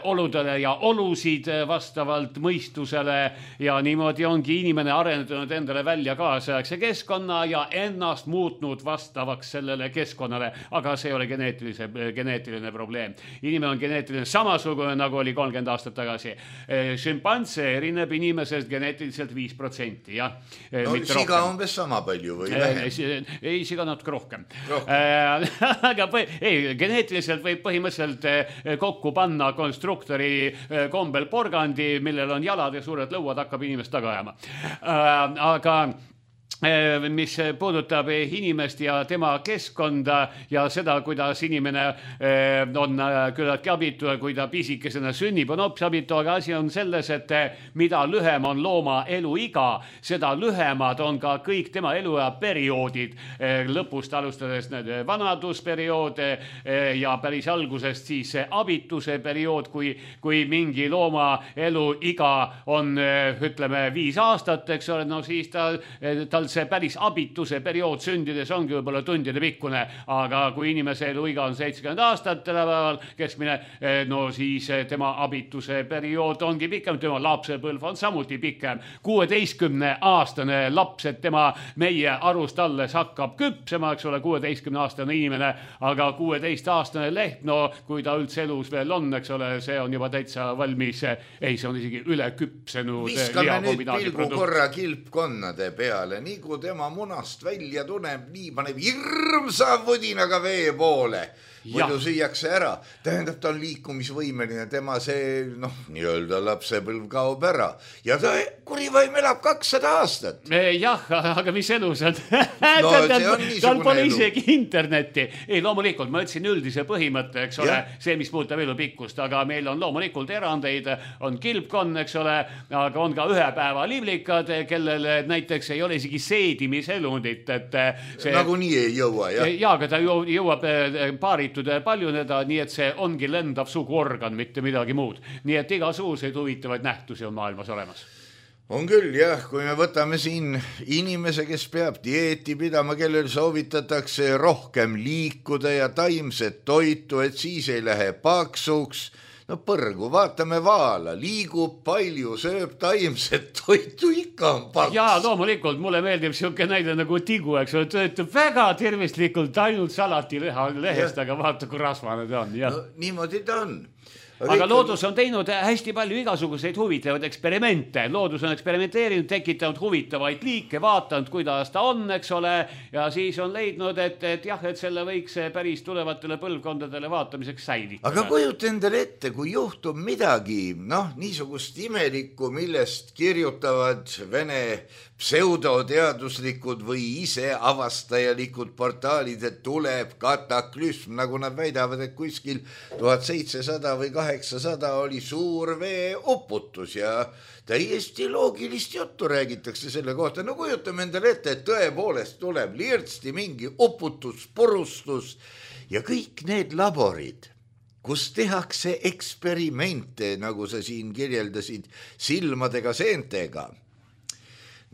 oludele ja olusid vastavalt mõistusele ja niimoodi ongi inimene arendanud endale välja kaasaegse keskkonna ja ennast muutnud vastavaks sellele keskkonnale, aga see ei ole geneetiline probleem. Inimene on geneetiline samasugune, nagu oli 30 aastat tagasi. Šimpanse erineb inimesest geneetiliselt 5%, jah. No siga umbes sama palju või vähem? Ei, siga natuke rohkem. Aga geneetiliselt võib põhimõtteliselt kokku panna konstruktori kombel porgandi, millel on jalad ja suured lõuad, hakkab inimest taga ajama. Aga mis puudutab inimest ja tema keskkonda ja seda, kuidas inimene on küllaltki abitu, kui ta pisikesena sünnib, on hoopis abitu, aga asi on selles, et mida lühem on looma eluiga, seda lühemad on ka kõik tema eluea perioodid, lõpust alustades vanadusperiood ja päris algusest siis abituse periood, kui mingi looma eluiga on, ütleme, 5 aastat, eks ole, no siis tal see päris abituse periood sündides ongi võib-olla tundide pikkune, aga kui inimese eluiga on 70 aastat tänapäeval keskmine, no siis tema abituse periood ongi pikem, tema lapsepõlv on samuti pikem. 16-aastane laps, et tema meie arust alles hakkab küpsema, eks ole, 16-aastane inimene, aga 16-aastane leht, no kui ta üldse elus veel on, eks ole, see on juba täitsa valmis, ei, see on isegi üle küpsenud. Viskame nüüd pilgu korra kilpkonnade peale, nii kui tema munast välja tuneb, nii paneb hirmsa võdinaga vee poole. Muidu süüakse ära. Tähendab, ta on liikumisvõimeline, tema see, nii-öelda lapsepõlv kaob ära. Ja ta kurivaim elab 200 aastat. Jah, aga mis elu see on? No see on niisugune tal pole isegi internetti. Ei, loomulikult, ma ütlesin üldise põhimõtte, eks ole, see, mis puudutab elu pikkust, aga meil on loomulikult erandeid, on kilpkonn, eks ole, aga on ka ühe päeva liblikad, kellel näiteks ei ole isegi seedimiselundit, et see... Nagu nii ei jõua, jah? Ja, aga ta jõuab paaritud paljuneda, nii et see ongi lendav suguorgan, mitte midagi muud. Nii et igasuguseid huvitavaid nähtusi on maailmas olemas. On küll, jah, kui me võtame siin inimese, kes peab dieeti pidama, kellel soovitatakse rohkem liikuda ja taimset toitu, et siis ei lähe paksuks, no põrgu, vaatame vaala, liigub palju, sööb taimset toitu, ikka on paks. Jaa, loomulikult, mulle meeldib siuke näide nagu tigu, eks ole, töötab väga tervistlikult ainult salati lehest, aga vaata, kui rasvane ta on. No, niimoodi ta on. Aga loodus on teinud hästi palju igasuguseid huvitavaid eksperimente. Loodus on eksperimenteerinud, tekitanud huvitavaid liike, vaatanud, kuidas ta on, eks ole, ja siis on leidnud, et jah, et selle võiks päris tulevatele põlvkondadele vaatamiseks säilitada. Aga kujuta endale ette, kui juhtub midagi, niisugust imelikku, millest kirjutavad Vene pseudoteaduslikud või ise avastajalikud portaalid, et tuleb kataklüsm, nagu nad väidavad, et kuskil 1700 või 800 oli suur veeuputus ja täiesti loogilist juttu räägitakse selle kohta. No kujutame endale ette, et tõepoolest tuleb lirtsti mingi uputus, purustus ja kõik need laborid, kus tehakse eksperimente, nagu sa siin kirjeldasid, silmadega, seentega.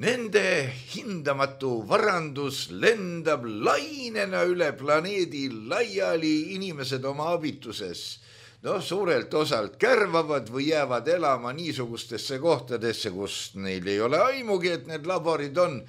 Nende hindamatu varandus lendab lainena üle planeedi laiali, inimesed oma abituses suurelt osalt kärvavad või jäävad elama niisugustesse kohtadesse, kus neil ei ole aimugi, et need laborid on.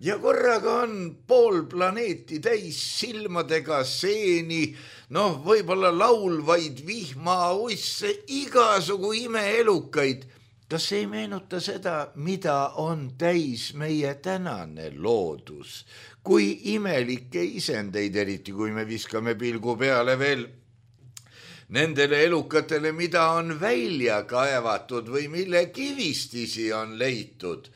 Ja korraga on pool planeeti täis silmadega, seeni, võib-olla laulvaid vihmauisse, igasugu imeelukaid. Kas ei meenuta seda, mida on täis meie tänane loodus? Kui imelikke isendeid, eriti kui me viskame pilgu peale veel nendele elukatele, mida on välja kaevatud või mille kivistisi on leitud.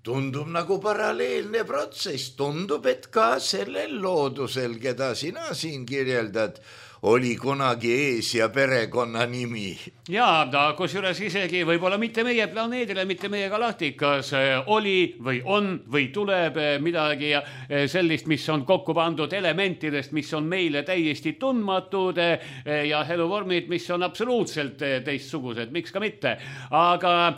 Tundub nagu paralleelne protsess. Tundub, et ka sellel loodusel, keda sina siin kirjeldad, oli kunagi ees ja perekonna nimi. Jaa, kusjuures isegi võib-olla mitte meie planeedile, mitte meie galaktikas oli või on või tuleb midagi sellist, mis on kokku pandud elementidest, mis on meile täiesti tundmatud ja eluvormid, mis on absoluutselt teistsugused, miks ka mitte. Aga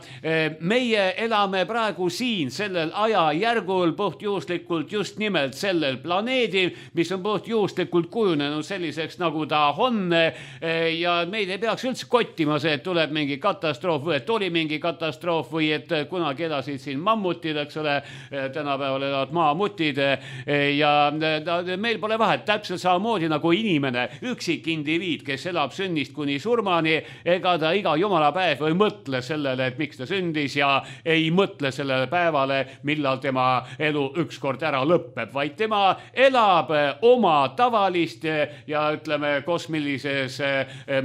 meie elame praegu siin sellel ajajärgul puhtjuhuslikult just nimelt sellel planeedil, mis on puhtjuhuslikult kujunenud selliseks, nagu ta on ja meid ei peaks üldse kottima see, et tuleb mingi katastroof või et oli mingi katastroof või et kunagi elasid siin mammutid, eks ole, tänapäeval elavad maamutid ja meil pole vahet, täpselt samamoodi nagu inimene, üksik indiviid, kes elab sünnist kuni surmani, ega ta iga jumala päev ei mõtle sellele, et miks ta sündis ja ei mõtle sellele päevale, millal tema elu ükskord ära lõpeb, vaid tema elab oma tavalist ja ütleme kosmilises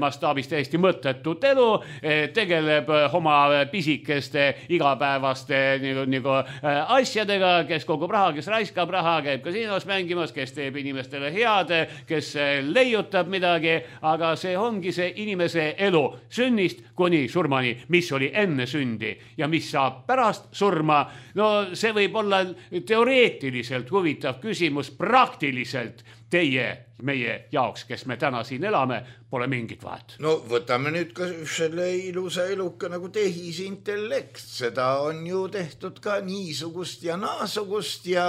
mastaabis täiesti mõttetut elu, tegeleb oma pisikeste igapäevaste nagu asjadega, kes kogub raha, kes raiskab raha, käib kasiinos mängimas, kes teeb inimestele head, kes leiutab midagi, aga see ongi see inimese elu sünnist kuni surmani, mis oli enne sündi ja mis saab pärast surma. No see võib olla teoreetiliselt huvitav küsimus, praktiliselt meie jaoks, kes me täna siin elame, pole mingit vahet. No võtame nüüd ka selle ilusa eluka nagu tehisintellekt. Seda on ju tehtud ka niisugust ja naasugust ja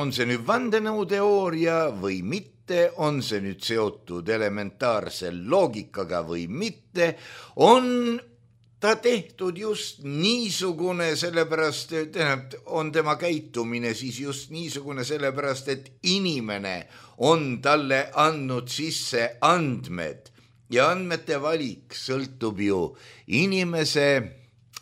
on see nüüd vandenõuteooria või mitte, on see nüüd seotud elementaarse loogikaga või mitte, on ta tehtud just niisugune, sellepärast on tema käitumine siis just niisugune, sellepärast et inimene on talle andnud sisse andmed ja andmete valik sõltub ju inimese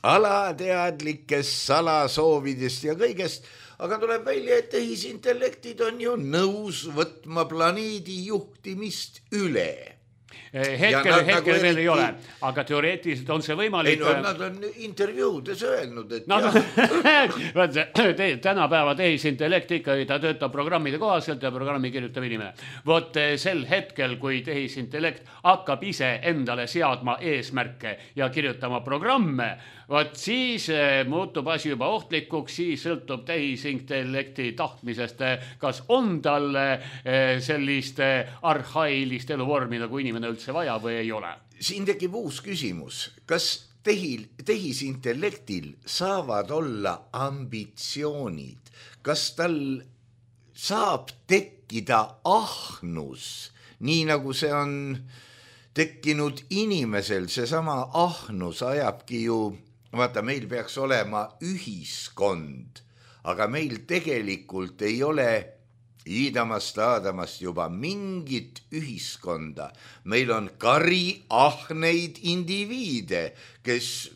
alateadlikest salasoovidest ja kõigest, aga tuleb välja, et tehisintellektid on ju nõus võtma planeedi juhtimist üle. Hetkel veel ei ole, aga teoreetiliselt on see võimalik. Ei, nad on intervjuudes öelnud, et tänapäeva tehisintellekt ikkagi, ta töötab programmide kohaselt ja programmi kirjutab inimene. Vot sel hetkel, kui tehisintellekt hakkab ise endale seadma eesmärke ja kirjutama programme, vot siis muutub asi juba ohtlikuks, siis sõltub tehisintellekti tahtmisest, kas on tal sellist arhailist eluvormi, nagu inimene üldse vaja või ei ole. Siin tekib uus küsimus. Kas tehisintellektil saavad olla ambitsioonid? Kas tal saab tekkida ahnus, nii nagu see on tekkinud inimesel seesama ahnus ajabki ju, vaata, meil peaks olema ühiskond, aga meil tegelikult ei ole Iidamast juba mingit ühiskonda. Meil on kari ahneid indiviide, kes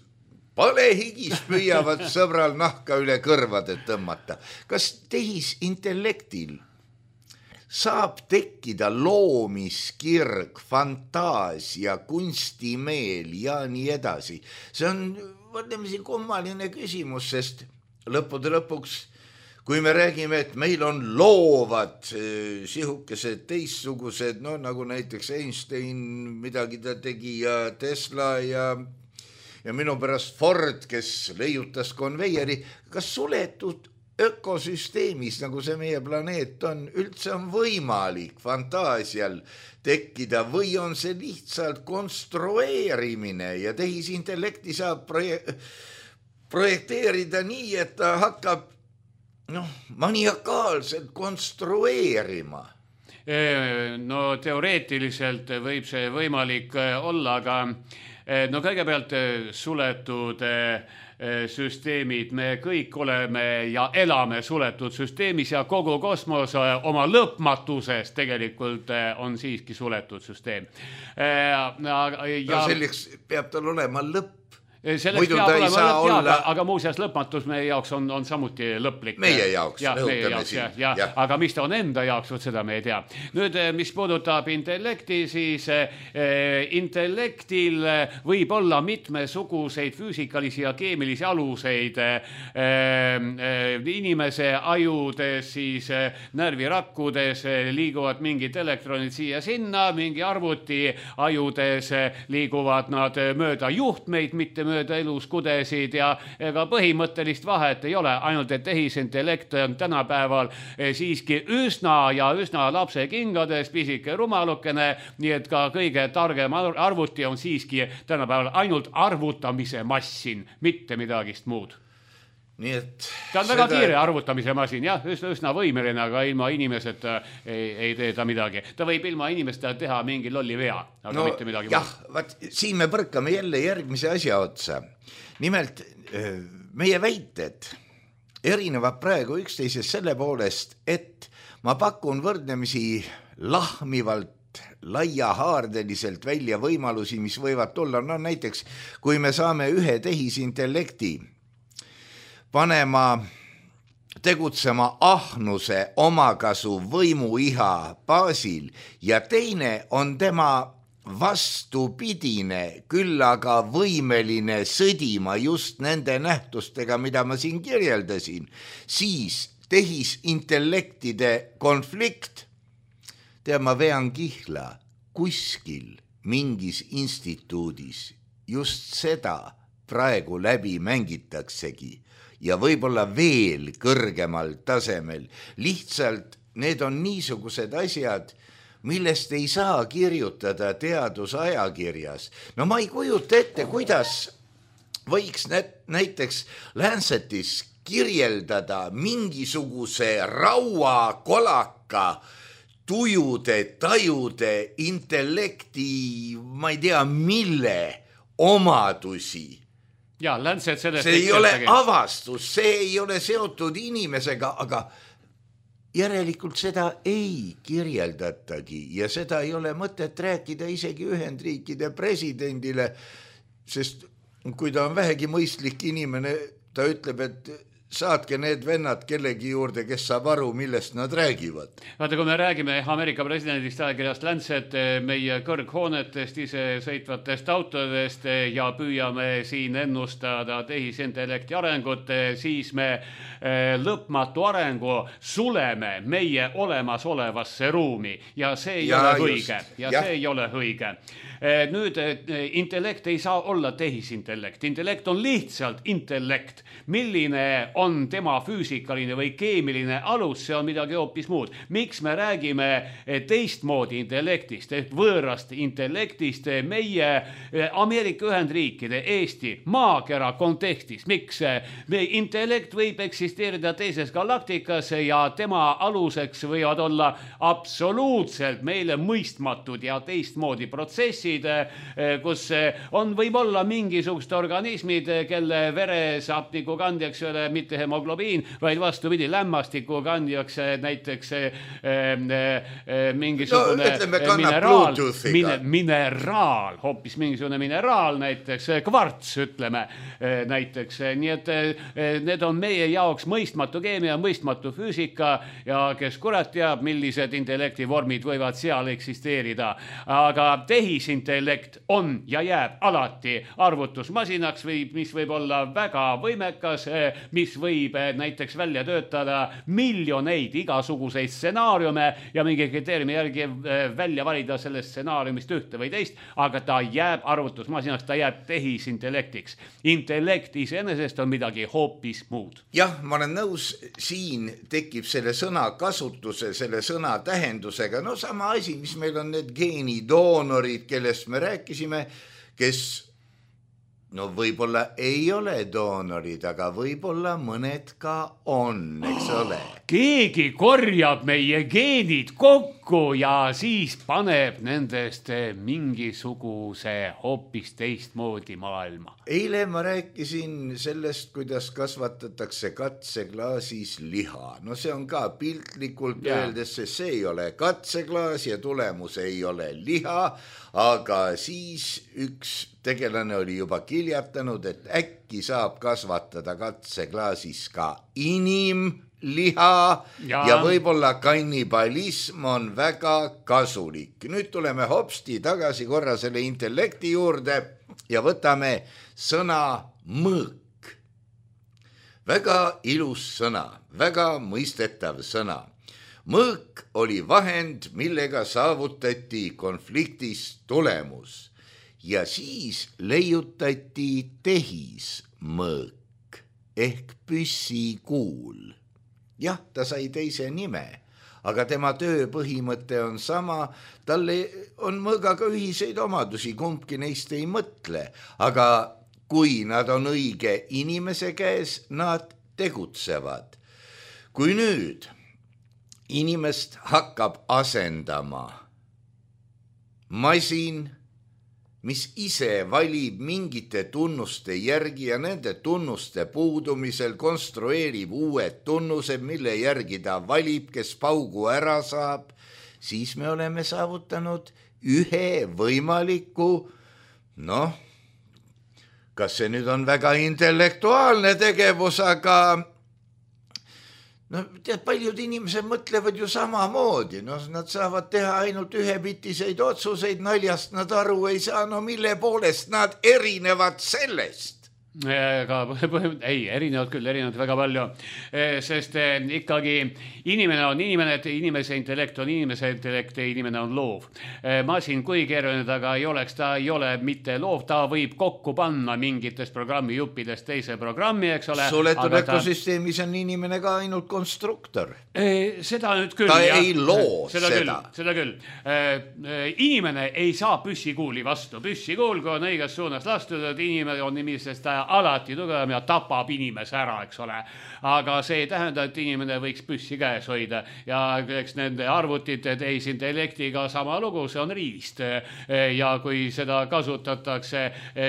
palehigis püüavad sõbral nahka üle kõrvade tõmmata. Kas tehisintellektil saab tekkida loomiskirg, fantaasia, kunstimeel ja nii edasi? See on võrdlemisi kummaline küsimus, sest lõppude lõpuks kui me räägime, et meil on loovad sihukesed teistsugused, no nagu näiteks Einstein, midagi ta tegi ja Tesla ja minu pärast Ford, kes leiutas konveieri, kas suletud ökosüsteemis, nagu see meie planeet on, üldse on võimalik fantaasial tekkida või on see lihtsalt konstrueerimine ja tehisintellekti saab projekteerida nii, et ta hakkab maniakaalselt konstrueerima? No teoreetiliselt võib see võimalik olla, aga no kõigepealt suletud süsteemid, me kõik oleme ja elame suletud süsteemis ja kogu kosmos oma lõpmatuses tegelikult on siiski suletud süsteem. Selleks peab tal olema lõpp. Muidu ta ei saa olla... Aga muuseas lõpmatus meie jaoks on samuti lõplik. Meie jaoks, lõhutame siin. Aga mis ta on enda jaoks, seda me ei tea. Nüüd, mis puudutab intellekti, siis intellektil võib olla mitmesuguseid füüsikalisi ja keemilisi aluseid. Inimese ajudes, siis närvirakkudes liiguvad mingid elektronid siia-sinna, mingi arvuti ajudes liiguvad nad mööda juhtmeid, mitte mööda eluskudesid ja ega põhimõttelist vahet ei ole, ainult et tehisintellekt on tänapäeval siiski üsna lapse kingades, pisike rumalukene, nii et ka kõige targem arvuti on siiski tänapäeval ainult arvutamise massin, mitte midagist muud. Nii et ta on väga kiire arvutamise masin, jah, üsna võimeline, aga ilma inimeseta ei tee ta midagi. Ta võib ilma inimesta teha mingi lolli vea, aga mitte midagi jah, vaat, siin me põrkame jälle järgmise asja otsa. Nimelt, meie väited erinevad praegu üksteisest selle poolest, et ma pakun võrdlemisi lahmivalt, laiahaardeliselt välja võimalusi, mis võivad tulla. No näiteks, kui me saame ühe tehisintellekti panema tegutsema ahnuse, omakasu, võimuiha baasil ja teine on tema vastupidine, küll aga võimeline sõdima just nende nähtustega, mida ma siin kirjeldasin, siis tehisintellektide konflikt, ma vean kihla kuskil mingis instituudis, just seda praegu läbi mängitaksegi ja võib-olla veel kõrgemal tasemel. Lihtsalt need on niisugused asjad, millest ei saa kirjutada teadusajakirjas. No ma ei kujuta ette, kuidas võiks näiteks Lancetis kirjeldada mingisuguse rauakolaka tujude, tajude, intellekti, ma ei tea, mille omadusi. Ja, Lancet sellest see ei ole avastus, see ei ole seotud inimesega, aga järelikult seda ei kirjeldatagi ja seda ei ole mõtet rääkida isegi Ühendriikide presidendile, sest kui ta on vähegi mõistlik inimene, ta ütleb, et saatke need vennad kellegi juurde, kes saab aru, millest nad räägivad. Vaata, kui me räägime Ameerika presidendist ajakirjast Lancet, meie kõrghoonetest, ise sõitvatest autodest ja püüame siin ennustada tehisintellekti arengut, siis me lõpmatu arengu suleme meie olemasolevasse ruumi ja see ei ole õige. See ei ole õige. Nüüd intellekt ei saa olla tehisintellekt. Intellekt on lihtsalt intellekt. Milline on tema füüsikaline või keemiline alus, see on midagi hoopis muud. Miks me räägime teistmoodi intellektist, ehk võõrast intellektist meie Ameerika Ühendriikide, Eesti, maakera kontekstis? Miks intellekt võib eksisteerida teises galaktikas ja tema aluseks võivad olla absoluutselt meile mõistmatud ja teistmoodi protsessid, analüüsid, kus on võib-olla mingisugused organismid, kelle veres hapnikukandjaks ei ole mitte hemoglobiin, vaid vastupidi, lämmastikukandjaks näiteks mingisugune mineraal, hoopis mingisugune mineraal, näiteks kvarts, ütleme näiteks. Nii et need on meie jaoks mõistmatu keemia, mõistmatu füüsika ja kes kurat teab, millised intellektivormid võivad seal eksisteerida. Aga tehisintellekt on ja jääb alati arvutusmasinaks, mis võib olla väga võimekas, mis võib näiteks välja töötada miljoneid igasuguseid stsenaariume ja mingi kriteeriumi järgi välja valida sellest stsenaariumist ühte või teist, aga ta jääb arvutusmasinaks, ta jääb tehisintellektiks. Intellekt iseenesest on midagi hoopis muud. Jah, ma olen nõus, siin tekib selle sõna kasutuse, selle sõna tähendusega, no sama asi, mis meil on need geenidoonorid, kellest me rääkisime, kes no võib-olla ei ole doonorid, aga võib-olla mõned ka on, eks ole. Keegi korjab meie geenid kokku ja siis paneb nendest mingisuguse hoopis teistmoodi maailma. Eile ma rääkisin sellest, kuidas kasvatatakse katseklaasis liha. No see on ka piltlikult öeldes, see ei ole katseklaas ja tulemus ei ole liha, aga siis üks tegelane oli juba kiljatanud, et äkki saab kasvatada katseklaasis ka inimliha ja võib-olla kannibalism on väga kasulik. Nüüd tuleme hopsti tagasi korra selle intellekti juurde ja võtame sõna mõõk. Väga ilus sõna, väga mõistetav sõna. Mõõk oli vahend, millega saavutati konfliktis tulemus. Ja siis leiutati tehismõõk ehk püssikuul. Jah, ta sai teise nime, aga tema töö põhimõte on sama. Talle on mõõgaga ühiseid omadusi, kumbki neist ei mõtle, aga kui nad on õige inimese käes, nad tegutsevad. Kui nüüd inimest hakkab asendama masin, mis ise valib mingite tunnuste järgi ja nende tunnuste puudumisel konstrueerib uued tunnused, mille järgi ta valib, kes paugu ära saab, siis me oleme saavutanud ühe võimaliku, noh, kas see nüüd on väga intellektuaalne tegevus, aga no, tead, paljud inimesed mõtlevad ju samamoodi, no nad saavad teha ainult ühepitiseid otsuseid, naljast nad aru ei saa, no mille poolest nad erinevad sellest? Aga ei, erinevad küll, erinevad väga palju, sest ikkagi inimene on inimene, inimese intellekt on inimese intellekt ja inimene on loov. Masin, kui keeruline taga ei oleks, ta ei ole mitte loov, ta võib kokku panna mingitest programmi juppidest teise programmi, eks ole. Suletud ökosüsteemis on inimene ka ainult konstruktor. Seda nüüd küll. Ta ei loo seda. Seda küll. Inimene ei saa püssikuuli vastu. Püssikuul, kui on õiges suunas lastud, et inimene on nimisest alati tugevam ja tapab inimese ära, eks ole. Aga see ei tähenda, et inimene võiks püssi käes hoida ja eks nende arvutite tehisintellektiga sama lugu, see on riist. Ja kui seda kasutatakse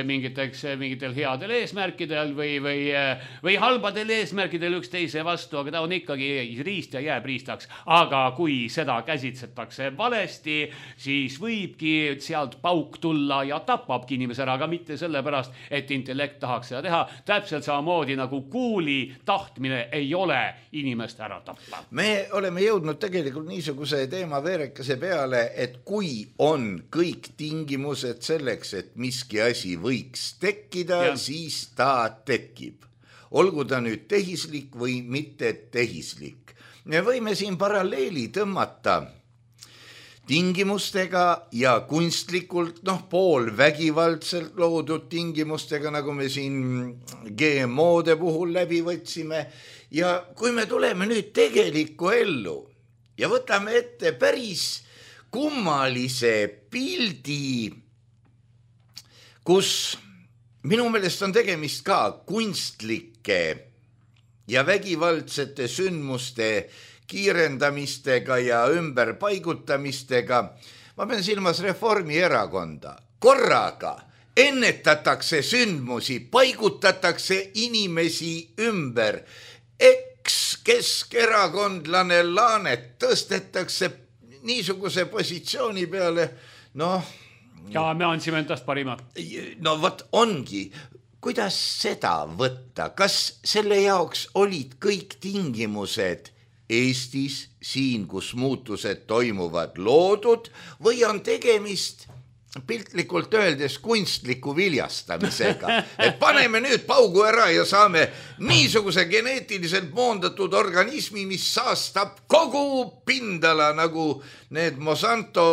mingitel headel eesmärkidel või halbadel eesmärkidel üksteise vastu, aga ta on ikkagi riist ja jääb riistaks. Aga kui seda käsitsetakse valesti, siis võibki sealt pauk tulla ja tapabki inimese ära, aga mitte sellepärast, et intellekt tahaks seda teha. Täpselt samamoodi nagu kuuli tahtmine ei ole inimest ära tappa. Me oleme jõudnud tegelikult niisuguse teema veerekese peale, et kui on kõik tingimused selleks, et miski asi võiks tekkida, siis ta tekib. Olgu ta nüüd tehislik või mitte tehislik. Me võime siin paralleeli tõmmata tingimustega ja kunstlikult, pool vägivaldselt loodud tingimustega, nagu me siin GMO-de puhul läbi võtsime. Ja kui me tuleme nüüd tegelikku ellu ja võtame ette päris kummalise pildi, kus minu meelest on tegemist ka kunstlike ja vägivaldsete sündmuste kiirendamistega ja ümberpaigutamistega. Ma pean silmas Reformierakonda. korraga ennetatakse sündmusi, paigutatakse inimesi ümber. Keskerakondlane Laanet tõstetakse niisuguse positsiooni peale, ja me andsime endast parima. No vot ongi, kuidas seda võtta, kas selle jaoks olid kõik tingimused Eestis, siin, kus muutused toimuvad, loodud või on tegemist piltlikult öeldes kunstliku viljastamisega, et paneme nüüd paugu ära ja saame niisuguse geneetiliselt moondatud organismi, mis saastab kogu pindala nagu need Monsanto,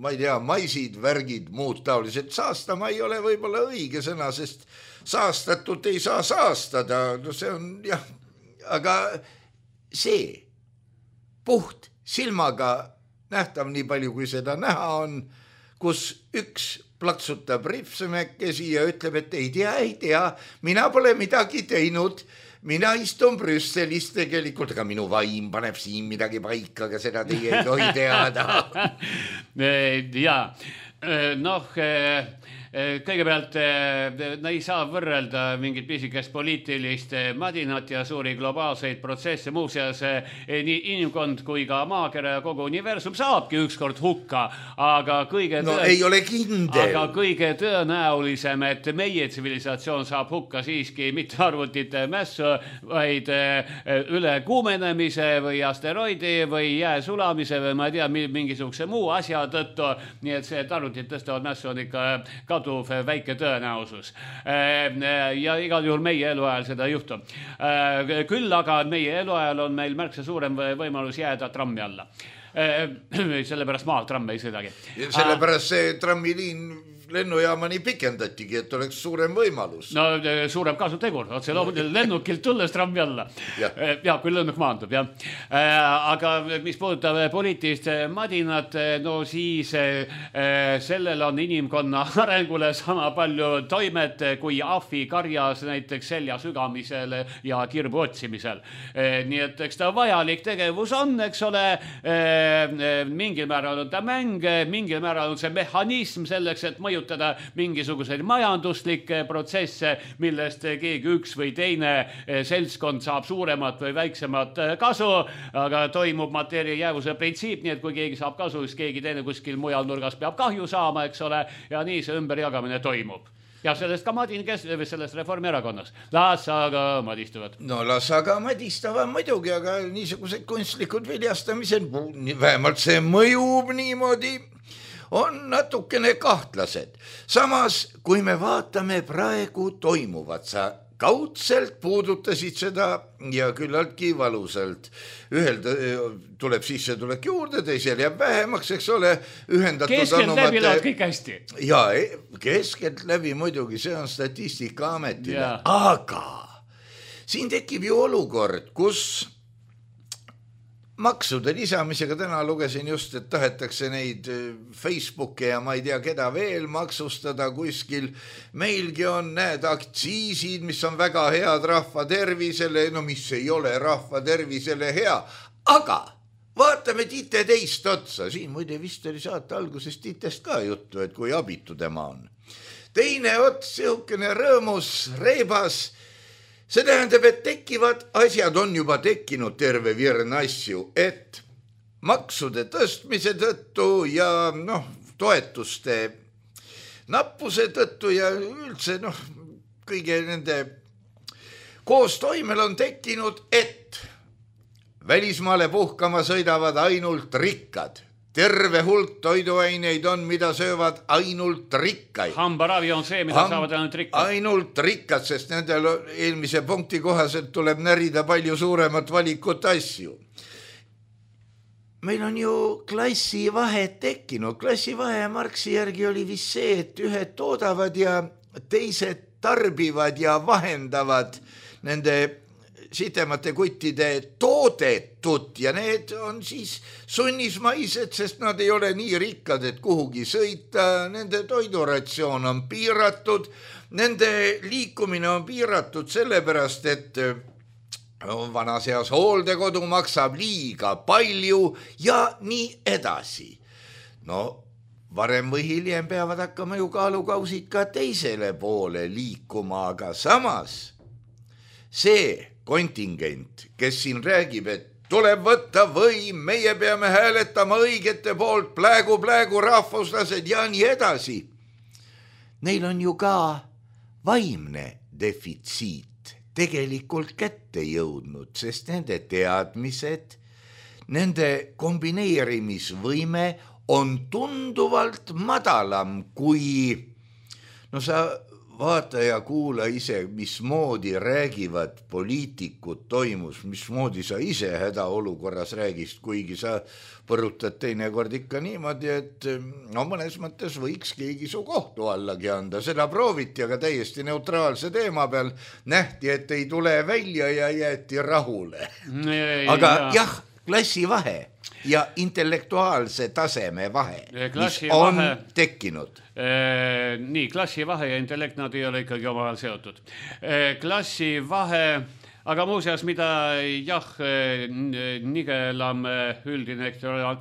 ma ei tea, maisid, värgid, muud taolised. Saastama ei ole võib-olla õige sõna, sest saastatut ei saa saastada, no see on jah, aga see puht silmaga nähtav nii palju, kui seda näha on, kus üks plaksutab ripsemekesi ja ütleb, et ei tea, mina pole midagi teinud, mina istun Brüsselis tegelikult, aga minu vaim paneb siin midagi paika, aga seda teie ei tohi teada. Kõigepealt ei saa võrrelda mingit pisikest poliitilist madinat ja suuri globaalseid protsesse. Muuseas, nii inimkond kui ka maakera ja kogu universum saabki ükskord hukka, aga ei ole kindel. Aga kõige tõenäolisem, et meie tsivilisatsioon saab hukka siiski mitte arvutite mässu, vaid ülekuumenemise või asteroidi või jää sulamise või ma ei tea, mingisuguse muu asja tõttu. Nii et see, et arvutit tõstavad mässu on ikka kaduv väike tõenäosus. Ja igal juhul meie eluajal seda ei juhtu. Küll aga meie eluajal on meil märksa suurem võimalus jääda trammi alla. Sellepärast maal tramm ei sõidagi. Sellepärast see trammiliin lennujaamani pikendatigi, et oleks suurem võimalus. No suurem kasutegur, otse lennukilt tulles trammi alla. Ja kui lennuk maandub, jah. Aga mis puudutab poliitilist madinat, no siis sellel on inimkonna arengule sama palju toimet kui ahvi karjas näiteks selja sügamisel ja kirbu otsimisel. Nii et eks ta vajalik tegevus on, eks ole, mingil määral on ta mäng, mingil määral on see mehhanism selleks, et mõjutada mingisuguseid majanduslikke protsesse, millest keegi üks või teine seltskond saab suuremat või väiksemat kasu, aga toimub mateeria jäävuse printsiip, nii et kui keegi saab kasu, siis keegi teine kuskil mujal nurgas peab kahju saama, eks ole, ja nii see ümberjagamine toimub. Ja sellest ka Madin sellest Reformierakonnas. Las aga madistavad. No las aga madistavad muidugi, aga niisugused kunstlikud viljastamised, vähemalt see mõjub niimoodi, on natukene kahtlased. Samas, kui me vaatame praegu toimuvat, sa kaudselt puudutasid seda ja küllaltki valusalt. Ühel tuleb sissetulek juurde, teisel jääb vähemaks, eks ole, ühendatud keskelt läbi laad kõik hästi. Ja, keskelt läbi muidugi, see on Statistikaametile. Aga siin tekib ju olukord, kus maksude lisamisega täna lugesin just, et tahetakse neid Facebooki ja ma ei tea keda veel maksustada kuskil. Meilgi on need aktsiisid, mis on väga head rahva tervisele, no mis ei ole rahva tervisele hea. Aga vaatame Tite teist otsa. Siin muide vist oli saate alguses Titest ka juttu, et kui abitu tema on. Teine ots, sihukene rõõmus, reibas. See tähendab, et tekivad asjad on juba tekkinud terve virn asju, et maksude tõstmise tõttu ja toetuste nappuse tõttu ja üldse kõige nende koostoimel on tekkinud, et välismaale puhkama sõidavad ainult rikkad. Terve hulk toiduaineid on, mida söövad ainult rikkaid. Hambaravi on see, mida saavad ainult rikkad. Ainult rikkad, sest nendel eelmise punkti kohaselt tuleb närida palju suuremat valikut asju. Meil on ju klassivahed tekkinud. Klassivahe Marxi järgi oli vist see, et ühed toodavad ja teised tarbivad ja vahendavad nende sitemate kuttide toodetut ja need on siis sunnismaised, sest nad ei ole nii rikkad, et kuhugi sõita, nende toiduratsioon on piiratud, nende liikumine on piiratud sellepärast, et vanas eas hooldekodu maksab liiga palju ja nii edasi. No varem või hiljem peavad hakkama ju kaalukausid ka teisele poole liikuma, aga samas see kontingent, kes siin räägib, et tuleb võtta võim, meie peame hääletama õigete poolt, plägu rahvuslased ja nii edasi. Neil on ju ka vaimne defitsiit tegelikult kätte jõudnud, sest nende teadmised, nende kombineerimisvõime on tunduvalt madalam kui, no sa vaata ja kuula ise, mismoodi räägivad poliitikud toimus, mismoodi sa ise hädaolukorras räägist, kuigi sa põrutad teinekord ikka niimoodi, et no mõnes mõttes võiks keegi su kohtu allagi anda. Seda prooviti, aga täiesti neutraalse teema peal nähti, et ei tule välja ja jäeti rahule. Aga jah, klassivahe ja intellektuaalse taseme vahe, mis on tekkinud. Nii, klassivahe ja intellekt, nad ei ole ikkagi omavahel seotud. Klassivahe, aga muuseas, mida jah, nigelam üldine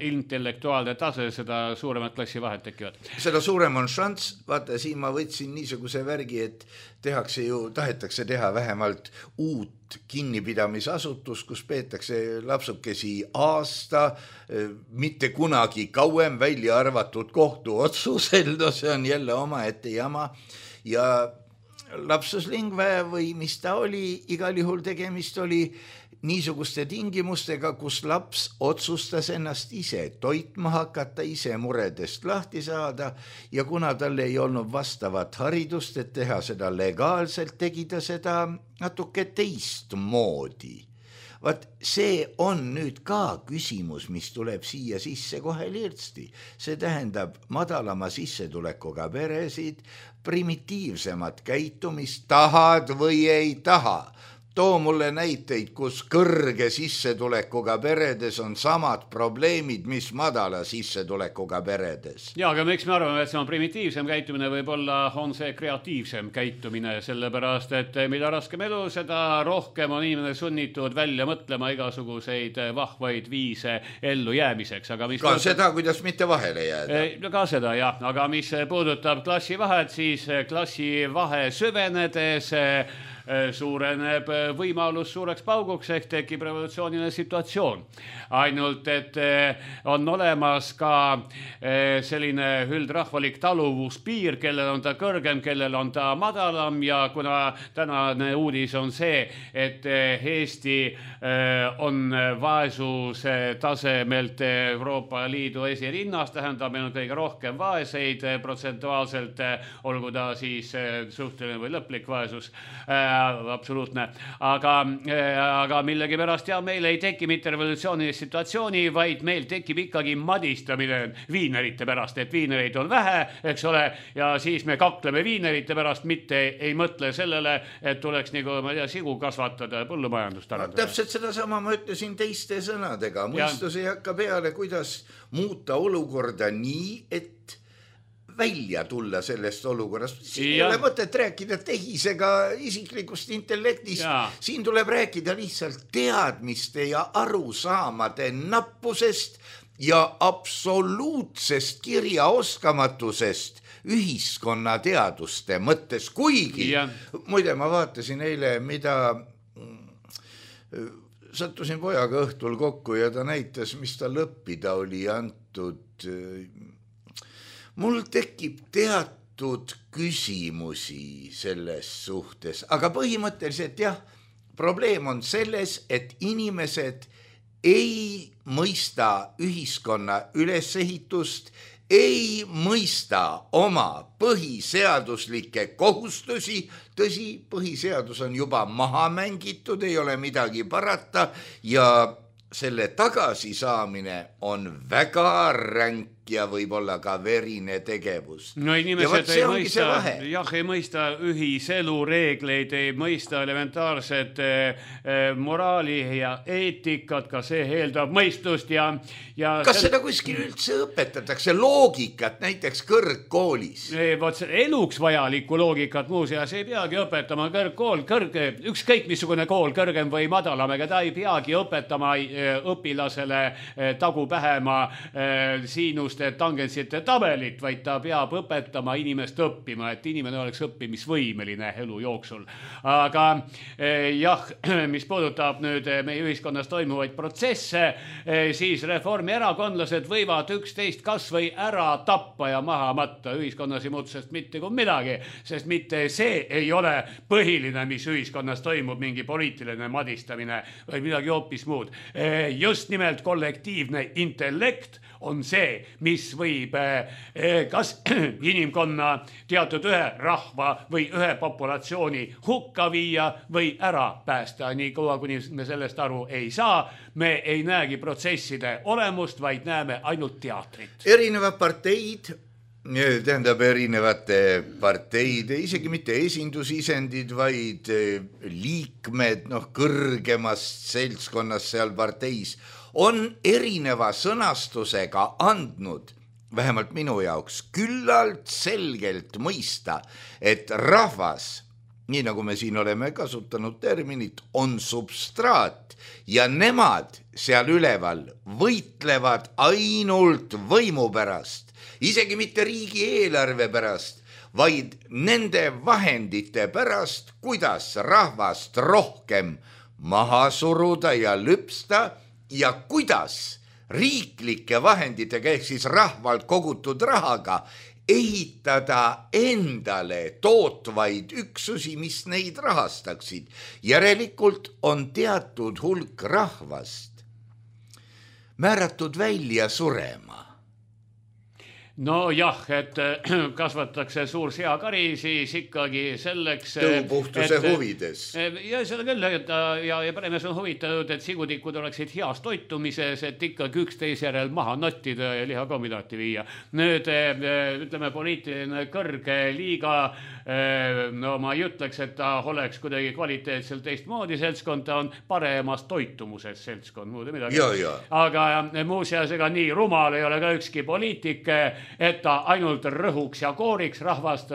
intellektuaalne tase, seda suuremad klassivahed tekivad. Seda suurem on šanss, vaata siin ma võtsin niisuguse värgi, et tahetakse teha vähemalt uut kinnipidamisasutus, kus peetakse lapsukesi aasta, mitte kunagi kauem välja arvatud kohtuotsusel, no see on jälle omaette jama ja lapsuslingve või mis ta oli, igal juhul tegemist oli niisuguste tingimustega, kus laps otsustas ennast ise toitma hakata, ise muredest lahti saada ja kuna tal ei olnud vastavat haridust, et teha seda legaalselt, tegi ta seda natuke teistmoodi. Vaat see on nüüd ka küsimus, mis tuleb siia sisse kohe lirtsti. See tähendab madalama sissetulekuga peresid, primitiivsemat käitumist, tahad või ei taha. Too mulle näiteid, kus kõrge sissetulekuga peredes on samad probleemid, mis madala sissetulekuga peredes. Ja, aga miks me arvame, et see on primitiivsem käitumine, võib-olla on see kreatiivsem käitumine, sellepärast, et mida raskem elu, seda rohkem on inimene sunnitud välja mõtlema igasuguseid vahvaid viise ellu jäämiseks. Aga mis ka seda, kuidas mitte vahele jääda. Ka seda, jah. Aga mis puudutab klassivahet, siis klassivahe süvenedes suureneb võimalus suureks pauguks ehk tekib revolutsiooniline situatsioon. Ainult, et on olemas ka selline üldrahvalik taluvuspiir, kellel on ta kõrgem, kellel on ta madalam ja kuna tänane uudis on see, et Eesti on vaesuse tasemelt Euroopa Liidu esirinnas, tähendab meil on kõige rohkem vaeseid protsentuaalselt, olgu ta siis suhteline või lõplik vaesus, absoluutne, aga millegi pärast ja meil ei teki mitte revolutsioonilist situatsiooni, vaid meil tekib ikkagi madistamine viinerite pärast, et viinereid on vähe, eks ole, ja siis me kakleme viinerite pärast, mitte ei mõtle sellele, et tuleks nagu, ma ei tea, sigu kasvatada ja põllumajandust arendada. Täpselt seda sama ma ütlesin teiste sõnadega, mõistus ei hakka peale, kuidas muuta olukorda nii, et välja tulla sellest olukorrast. Siin ei ole mõtet rääkida tehisega isiklikust intellektist. Siin tuleb rääkida lihtsalt teadmiste ja arusaamade nappusest ja absoluutsest kirjaoskamatusest ühiskonnateaduste mõttes. Kuigi, muide ma vaatasin eile, mida sattusin pojaga õhtul kokku ja ta näitas, mis tal õppida oli antud. Mul tekib teatud küsimusi selles suhtes, aga põhimõtteliselt jah, probleem on selles, et inimesed ei mõista ühiskonna ülesehitust, ei mõista oma põhiseaduslikke kohustusi, tõsi, põhiseadus on juba maha mängitud, ei ole midagi parata ja selle tagasisaamine on väga ränk ja võib-olla ka verine tegevus. No inimesed ei mõista ühiselu reegleid, ei mõista elementaarset moraali ja eetikat, ka see eeldab mõistust ja kas seda kuskil üldse õpetatakse loogikat näiteks kõrgkoolis? Eluks vajalikku loogikat muuseas ei peagi õpetama kõrgkool, ükskõik missugune kool, kõrgem või madalam, ega ta ei peagi õpetama õpilasele tagu pähema siinust tegevused tangentsite tabelit, vaid ta peab õpetama inimest õppima, et inimene oleks õppimisvõimeline elu jooksul. Aga jah, mis puudutab nüüd meie ühiskonnas toimuvaid protsesse, siis reformierakondlased võivad üksteist kas või ära tappa ja maha matta. Ühiskonnas ei muutu sest mitte kui midagi, sest mitte see ei ole põhiline, mis ühiskonnas toimub, mingi poliitiline madistamine või midagi hoopis muud. Just nimelt kollektiivne intellekt on see, mis võib kas inimkonna teatud ühe rahva või ühe populatsiooni hukka viia või ära päästa. Nii kaua, kuni me sellest aru ei saa, me ei näegi protsesside olemust, vaid näeme ainult teatrit. Erinevad parteid, tähendab erinevate parteide, isegi mitte esindusisendid, vaid liikmed, kõrgemast seltskonnast seal parteis on erineva sõnastusega andnud, vähemalt minu jaoks, küllalt selgelt mõista, et rahvas, nii nagu me siin oleme kasutanud terminit, on substraat ja nemad seal üleval võitlevad ainult võimu pärast, isegi mitte riigieelarve pärast, vaid nende vahendite pärast, kuidas rahvast rohkem maha suruda ja lüpsta ja kuidas riiklike vahenditega ehk siis rahvalt kogutud rahaga ehitada endale tootvaid üksusi, mis neid rahastaksid. Järelikult on teatud hulk rahvast määratud välja surema. No jah, et kasvatakse suur seakari, siis ikkagi selleks... Tõupuhtuse huvides. Ja seda küll, ja peremees on huvitatud, et sigutikud oleksid heas toitumises, et ikkagi üksteise järel maha nottida ja lihakombinaati viia. Nüüd, ütleme, poliitiline kõrge liiga, no ma ei ütleks, et ta oleks kuidagi kvaliteetselt teistmoodi seltskond, ta on paremas toitumuses seltskond, muude midagi. Aga muuseas, ega nii rumal ei ole ka ükski poliitik, et ta ainult rõhuks ja kooriks rahvast,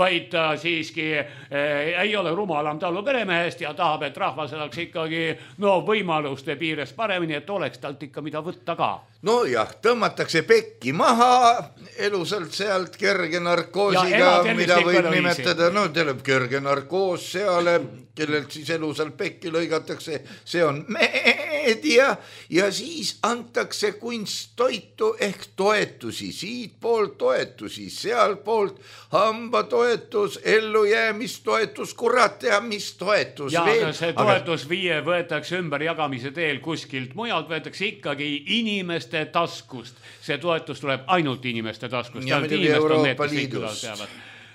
vaid ta siiski ei ole rumalam tallu peremehest ja tahab, et rahvas oleks ikkagi võimaluste piires paremini, et oleks talt ikka mida võtta ka. No jah, tõmmatakse pekki maha, elusalt sealt kerge narkoosiga, mida võib nimetada, tuleb kerge narkoos seale, kellelt siis elusalt pekki lõigatakse, see on meedia ja siis antakse kunsttoitu ehk toetusi, siit poolt toetusi, sealt poolt hambatoetus, ellujäämistoetus, kurat ja mis toetus ja, veel. Ja see toetus võetakse ümber jagamise teel kuskilt mujalt, võetakse ikkagi inimeste taskust. See toetus tuleb ainult inimeste taskust. Ja muidugi Euroopa Liidust.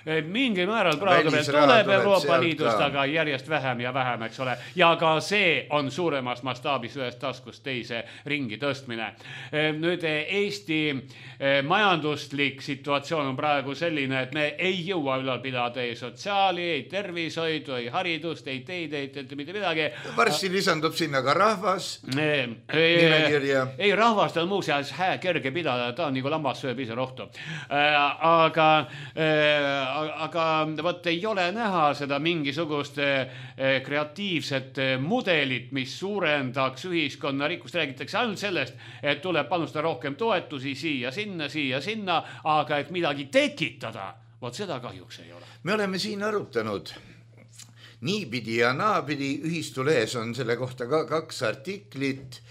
Mingil määral praegu tuleb Euroopa Liidust, aga järjest vähem ja vähem, eks ole. Ja ka see on suuremas mastaabis ühest taskust teise ringi tõstmine. Nüüd Eesti majanduslik situatsioon on praegu selline, et me ei jõua ülal pidada ei sotsiaali, ei tervishoidu, ei haridust, ei teid, ei mitte midagi. Varsti lisandub sinna ka rahvas nimekirja. Ei, rahvast on muuseas kerge pidada, ta on nagu lammas sööb ise rohtu. Aga võt ei ole näha seda mingisugust kreatiivset mudelit, mis suurendaks ühiskonna rikkust. Räägitakse ainult sellest, et tuleb panustada rohkem toetusi siia, sinna, aga et midagi tekitada, vot seda kahjuks ei ole. Me oleme siin arutanud niipidi ja naapidi, ühistulehes on selle kohta ka 2 artiklit.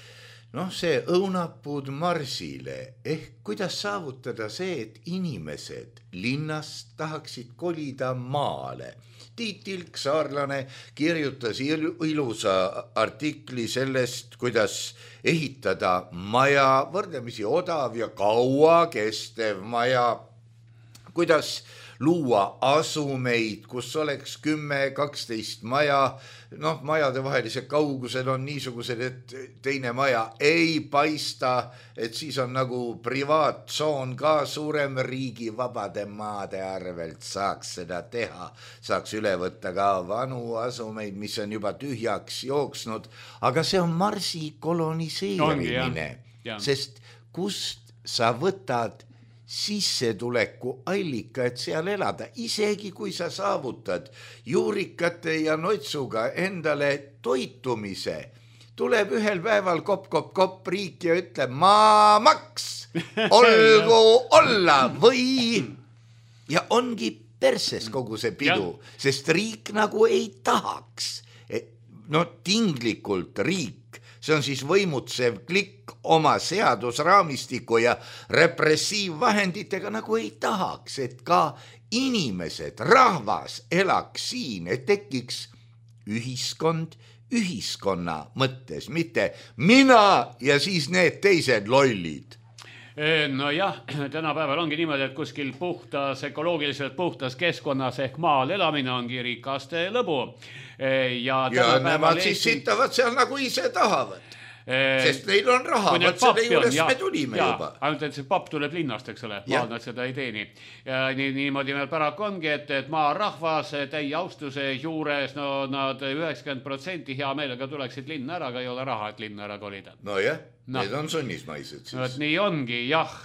See õunapuud marsile ehk kuidas saavutada see, et inimesed linnast tahaksid kolida maale. Tiit Ilk, saarlane, kirjutas ilusa artikli sellest, kuidas ehitada maja, võrdlemisi odav ja kaua kestev maja, kuidas luua asumeid, kus oleks 10-12 maja, majade vahelised kaugused on niisugused, et teine maja ei paista, et siis on nagu privaattsoon ka suurem, riigi vabade maade arvelt saaks seda teha, saaks üle võtta ka vanu asumeid, mis on juba tühjaks jooksnud, aga see on Marsi koloniseerimine, sest kust sa võtad sissetuleku allika, et seal elada, isegi kui sa saavutad juurikate ja notsuga endale toitumise, tuleb ühel päeval kopp riik ja ütleb maamaks olgu olla või ja ongi perses kogu see pidu, sest riik nagu ei tahaks. No tinglikult riik, see on siis võimutsev klikk oma seadusraamistiku ja repressiivvahenditega nagu ei tahaks, et ka inimesed, rahvas elaks siin, et tekiks ühiskond ühiskonna mõttes, mitte mina ja siis need teised lollid. Nojah, tänapäeval ongi niimoodi, et kuskil puhtas, ökoloogiliselt puhtas keskkonnas ehk maal elamine ongi rikaste lõbu. Ja nemad siis sittavad seal nagu ise tahavad. Sest neil on raha, võt selle juures me tulime juba. Ainult, et see papp tuleb linnast, eks ole, maal nad seda ei teeni. Ja niimoodi meil paraku ongi, et maa rahvas täie austuse juures, no nad 90% hea meelega tuleksid linna ära, aga ei ole raha, et linna ära kolida. No jah, need on sunnismaised siis. Nii ongi, jah.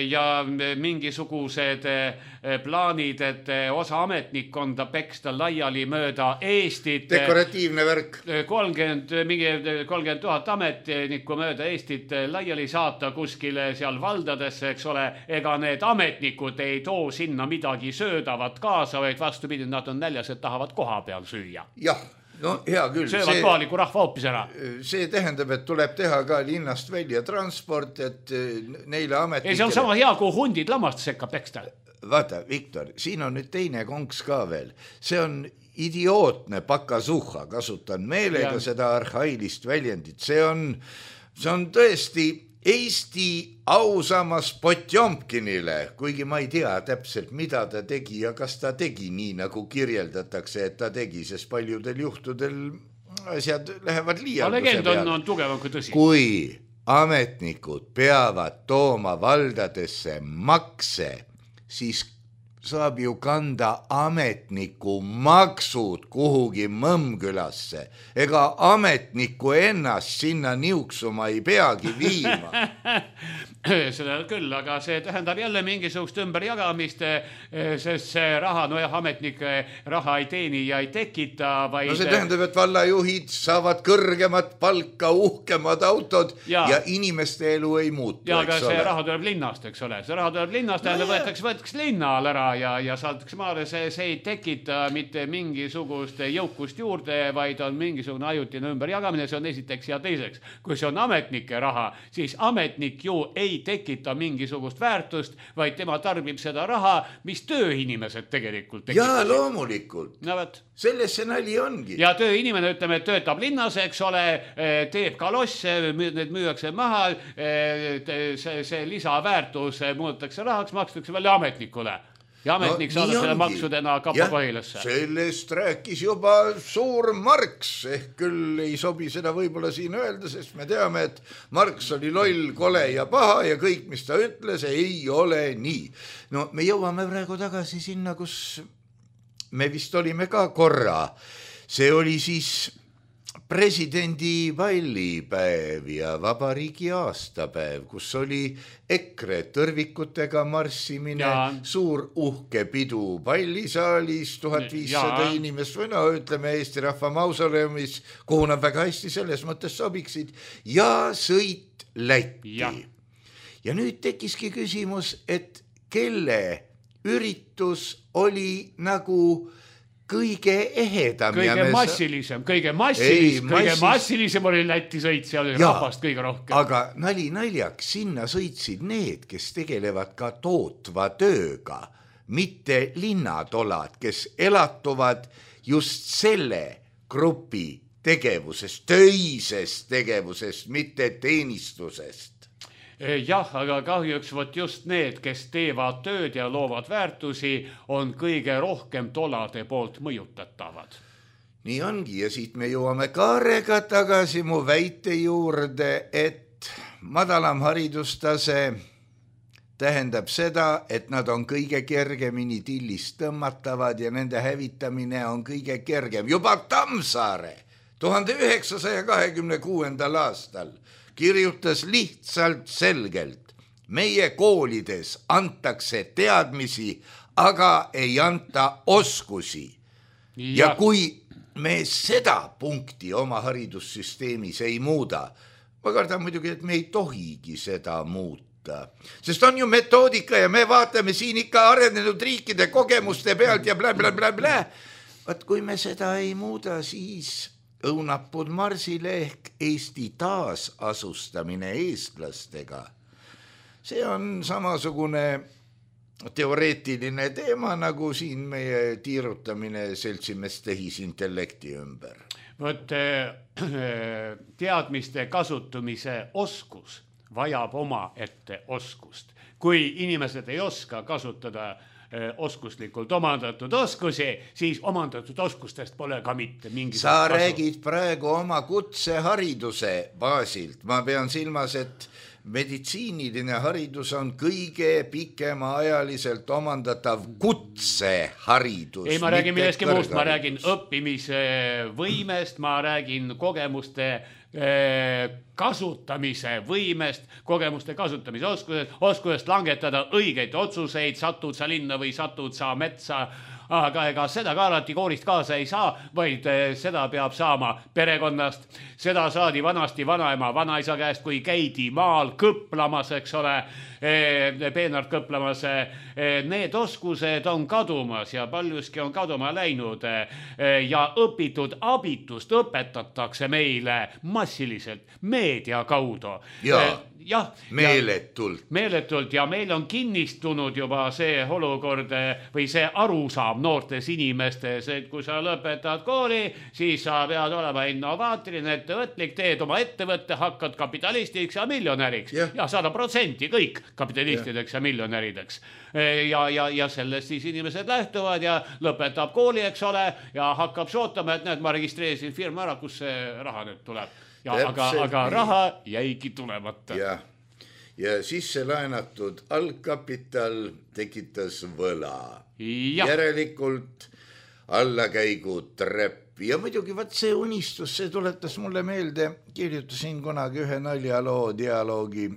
Ja mingisugused plaanid, et osa ametnikkonda peksta laiali mööda Eestit. Dekoratiivne värk. 30 000 ametnikku mööda Eestit laiali saata kuskile seal valdadesse, eks ole, ega need ametnikud ei too sinna midagi söödavat kaasa, vaid vastupidi, nad on näljas, et tahavad koha peal süüa. Jah. No hea küll. Söövad kohaliku rahva hoopis ära. See tähendab, et tuleb teha ka linnast välja transport, et neile ametnikele... See on sama hea, kui hundid lammast sekka peksta. Vaata, Viktor, siin on nüüd teine konks ka veel. See on idiootne pakasuhha, kasutan meelega seda arhailist väljendit. See on tõesti Eesti ausamas Potjomkinile, kuigi ma ei tea täpselt, mida ta tegi ja kas ta tegi nii, nagu kirjeldatakse, et ta tegi, sest paljudel juhtudel asjad lähevad liialduse peale. Legend on tugevam kui tõsi. Kui ametnikud peavad tooma valdadesse makse, siis saab ju kanda ametniku maksud kuhugi Mõmmkülasse. Ega ametniku ennast sinna niuksuma ei peagi viima. Seda küll, aga see tähendab jälle mingisugust ümberjagamist, sest see raha, nojah, ametnik raha ei teeni ja ei tekita, vaid... No see tähendab, et vallajuhid saavad kõrgemat palka, uhkemad autod ja inimeste elu ei muutu. Ja aga see raha tuleb linnast, eks ole. See raha tuleb linnast, tähendab, võetakse linna all ära ja saadtakse maale. See ei tekita mitte mingisugust jõukust juurde, vaid on mingisugune ajutine ümberjagamine. See on esiteks ja teiseks. Kui see on ametnike raha, siis ametnik ju ei tekita mingisugust väärtust, vaid tema tarbib seda raha, mis tööinimesed tegelikult tekib. Jaa, loomulikult. No, selles see nali ongi. Ja tööinimene, ütleme, töötab linnas, eks ole, teeb kalosse, need müüakse maha, see lisaväärtus muudetakse rahaks, makstakse välja ametnikule. Ja ametnik saadab selle maksudena kapakohilasse. Sellest rääkis juba suur Marx, ehk küll ei sobi seda võib-olla siin öelda, sest me teame, et Marx oli loll, kole ja paha ja kõik, mis ta ütles, ei ole nii. No me jõuame praegu tagasi sinna, kus me vist olime ka korra. See oli siis presidendi pallipäev ja vabariigi aastapäev, kus oli EKRE tõrvikutega marssimine, suur uhke pidu pallisaalis, 1500 inimest või no ütleme Eesti Rahva Mausoleumis, kuhu nad väga hästi selles mõttes sobiksid ja sõit Lätti. Ja nüüd tekkiski küsimus, et kelle üritus oli nagu kõige ehedam. Kõige massilisem oli Läti sõit, seal oli rahvast kõige rohkem. Aga naljaks, sinna sõitsid need, kes tegelevad ka tootva tööga, mitte linnatolad, kes elatuvad just selle grupi tegevusest, töisest tegevusest, mitte teenistusest. Jah, aga kahjuks võt just need, kes teevad tööd ja loovad väärtusi, on kõige rohkem tolade poolt mõjutatavad. Nii ongi ja siit me jõuame Kaarega tagasi mu väite juurde, et madalam haridustase tähendab seda, et nad on kõige kergemini tillist tõmmatavad ja nende hävitamine on kõige kergem. Juba Tammsaare 1926. aastal kirjutas lihtsalt selgelt, meie koolides antakse teadmisi, aga ei anta oskusi. Ja kui me seda punkti oma haridussüsteemis ei muuda, ma kardan muidugi, et me ei tohigi seda muuta. metoodika. Sest on ju metoodika ja me vaatame siin ikka arenenud riikide kogemuste pealt ja blä. Vaat kui me seda ei muuda, siis õunapud marsile ehk Eesti taasasustamine eestlastega. See on samasugune teoreetiline teema, nagu siin meie tiirutamine seltsimees tehisintellekti ümber. Võt teadmiste kasutamise oskus vajab oma ette oskust. Kui inimesed ei oska kasutada oskuslikult omandatud oskusi, siis omandatud oskustest pole ka mitte mingit Sa räägid praegu oma kutsehariduse baasilt. Ma pean silmas, et meditsiiniline haridus on kõige pikemaajaliselt omandatav kutseharidus. Ei, ma räägin milleski muust, ma räägin õppimise võimest, ma räägin kogemuste kasutamise võimest, kogemuste kasutamise oskusest langetada õigeid otsuseid, satud sa linna või satud sa metsa, aga ega seda ka alati koolist kaasa ei saa, vaid seda peab saama perekonnast. Seda saadi vanasti vanaema, vanaisa käest, kui käidi maal kõplamas, eks ole, peenart kõplamas. Need oskused on kadumas ja paljuski on kaduma läinud ja õpitud abitust õpetatakse meile massiliselt meedia kaudu. Ja, meeletult ja meil on kinnistunud juba see olukord või see arusaam noortes inimestes, et kui sa lõpetad kooli, siis sa pead olema innovaatiline, ettevõtlik, teed oma ettevõtte, hakkad kapitalistiks ja miljonäriks ja 100% kõik kapitalistideks ja miljonärideks. Ja sellest siis inimesed lähtuvad ja lõpetab kooli, eks ole, ja hakkab sootama, et näed, ma registreerisin firma ära, kus see raha nüüd tuleb. Aga raha jäigi tulemata. Ja sisse laenatud algkapital tekitas võla. Järelikult allakäigu trepp. Ja muidugi vaat see unistus, see tuletas mulle meelde, kirjutasin kunagi ühe naljaloo dialoogi,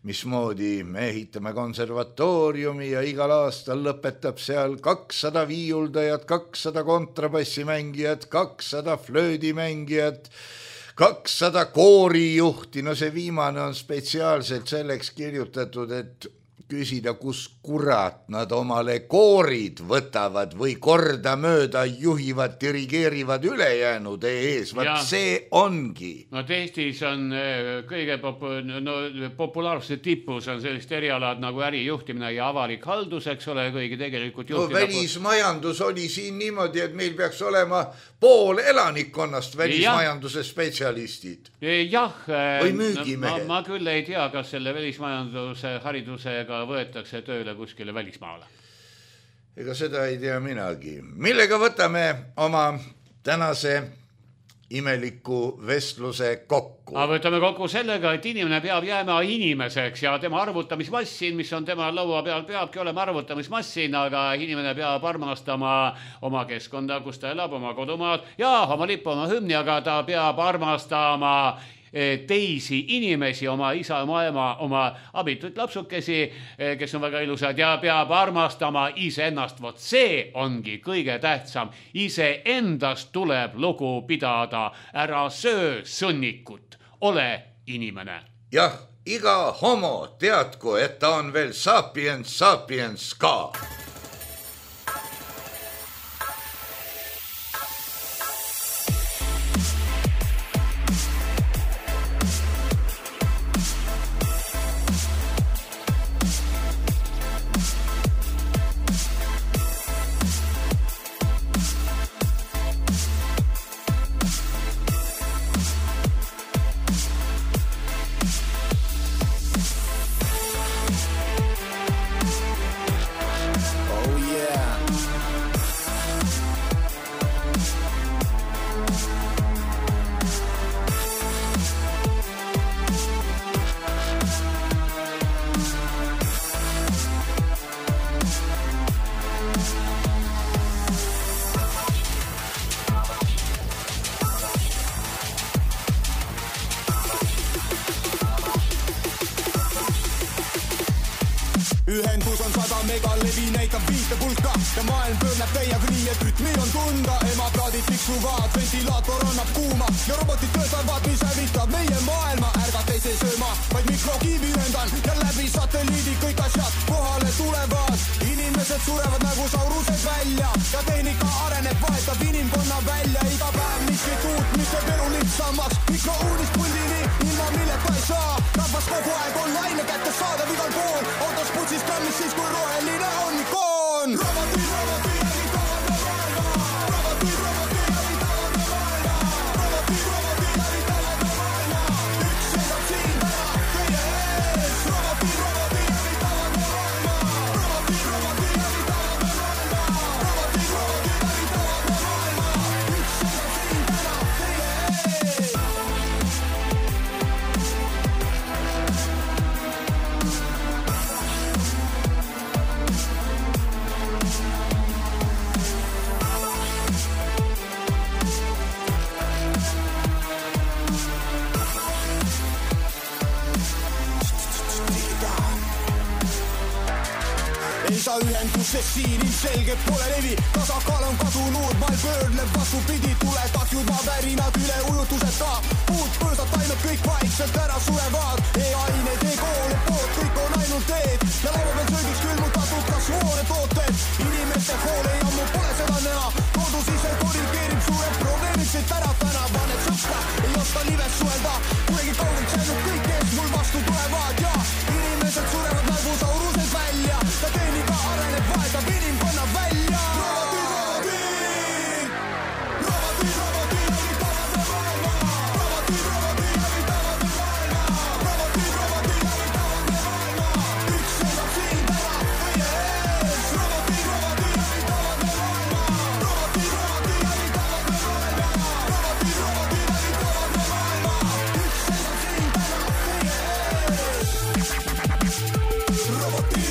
mismoodi me ehitame konservatooriumi ja igal aastal lõpetab seal 200 viiuldajat, 200 kontrabassimängijat, 200 flöödimängijat, 200 koorijuhti, no see viimane on spetsiaalselt selleks kirjutatud, et küsida, kus kurat nad omale koorid võtavad või korda mööda juhivad, dirigeerivad ülejäänud ees. Vaat see ongi. No Eestis on kõige populaarsuse tipus on sellist erialad nagu ärijuhtimine ja avalik haldus, eks ole, kõigi tegelikult juhtida. No välismajandus oli siin niimoodi, et meil peaks olema pool elanikkonnast välismajanduse spetsialistid. Või müügimehed. Ma küll ei tea, kas selle välismajanduse haridusega võetakse tööle kuskile välismaale. Ega seda ei tea minagi. Millega võtame oma tänase imeliku vestluse kokku? Võtame kokku sellega, et inimene peab jääma inimeseks ja tema arvutamismassin, mis on tema laua peal, peabki olema arvutamismassin, aga inimene peab armastama oma keskkonda, kus ta elab, oma kodumaad ja oma lippu, oma hümni, aga ta peab armastama teisi inimesi, oma isa, oma ema, oma abituid lapsukesi, kes on väga ilusad ja peab armastama iseennast. Vot see ongi kõige tähtsam. Iseendast tuleb lugu pidada. Ära söö sõnnikut. Ole inimene. Jah, iga homo teadku, et ta on veel sapiens ka. Ühendus on 100 megalevi näitab viitepulka ja maailm pöörneb täiega nii, et rütmi on tunda. Emakraadid tiksuvad, ventilaator annab kuuma ja robotid töötavad, mis hävitab meie maailma. Ärgata ei see sööma, vaid mikrokiivi ühendan ja läbi satelliidid, kõik asjad kohale tulevad. Inimesed surevad nagu saurused välja ja tehnika areneb, vahetab inimkonna välja. Iga päev miskit uut, mis teeb elu lihtsamaks. Mikrouunist puldini, ilma milleta ei saa. Rahvas kogu aeg on laine kätte saadav igal pool. Autos putsis krammis siis, kui roheline on ikoon. Roboti, roboti, hävitavad me maailma. Roboti, roboti, hävitavad me maailma. Roboti, roboti, hävitavad me maailma. Üks seisab siin täna teie ees. Roboti, roboti, hävitavad me maailma. Roboti, roboti, hävitavad me maailma. Roboti, roboti, hävitavad me maailma. Üks seisab siin täna teie ees. Ei saa ühendusest siin ilmselgelt pole levi. Tasakaal on kadunud, maal pöörleb vastupidi. Tulekahjud, maavärinad, üleujutuseta. Puud, põõsad, taimed, kõik vaikselt ära surevad. E-ained, e-koole, pood, kõik on ainult teed. Ja laua peal söögiks külmutatud kasvoone tooted. Inimeste hoole ja ammu pole seda näha. Kodus ise korrigeerib suured probleemid siit ära täna. Vanet sõpra, ei oska lives suhelda. Kuidagi kaugelt säinud kõik, kes mul vastu tulevad. Ja inimesed surevad nagu saurused välja. Ja tehnika areneb, vahetab inimkonna välja. Roboti, roboti, roboti, hävitavad me maailma. Roboti, roboti, hävitavad me maailma. Roboti, roboti, hävitavad me maailma. Üks seisab siin täna teie ees. Roboti, roboti, hävitavad me maailma. Roboti, roboti, hävitavad me maailma. Roboti, roboti, hävitavad me maailma. Üks seisab siin täna teie ees. Roboti.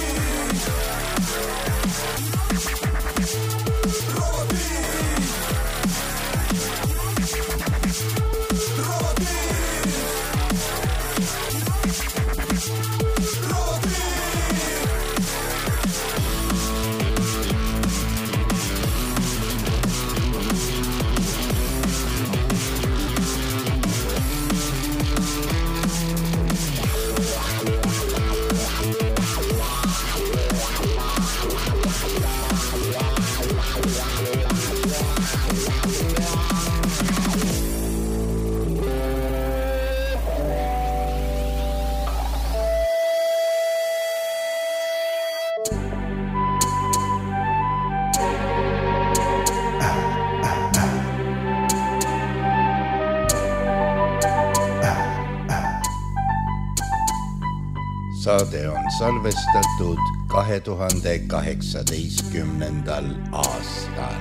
Saade on salvestatud 2018. aastal.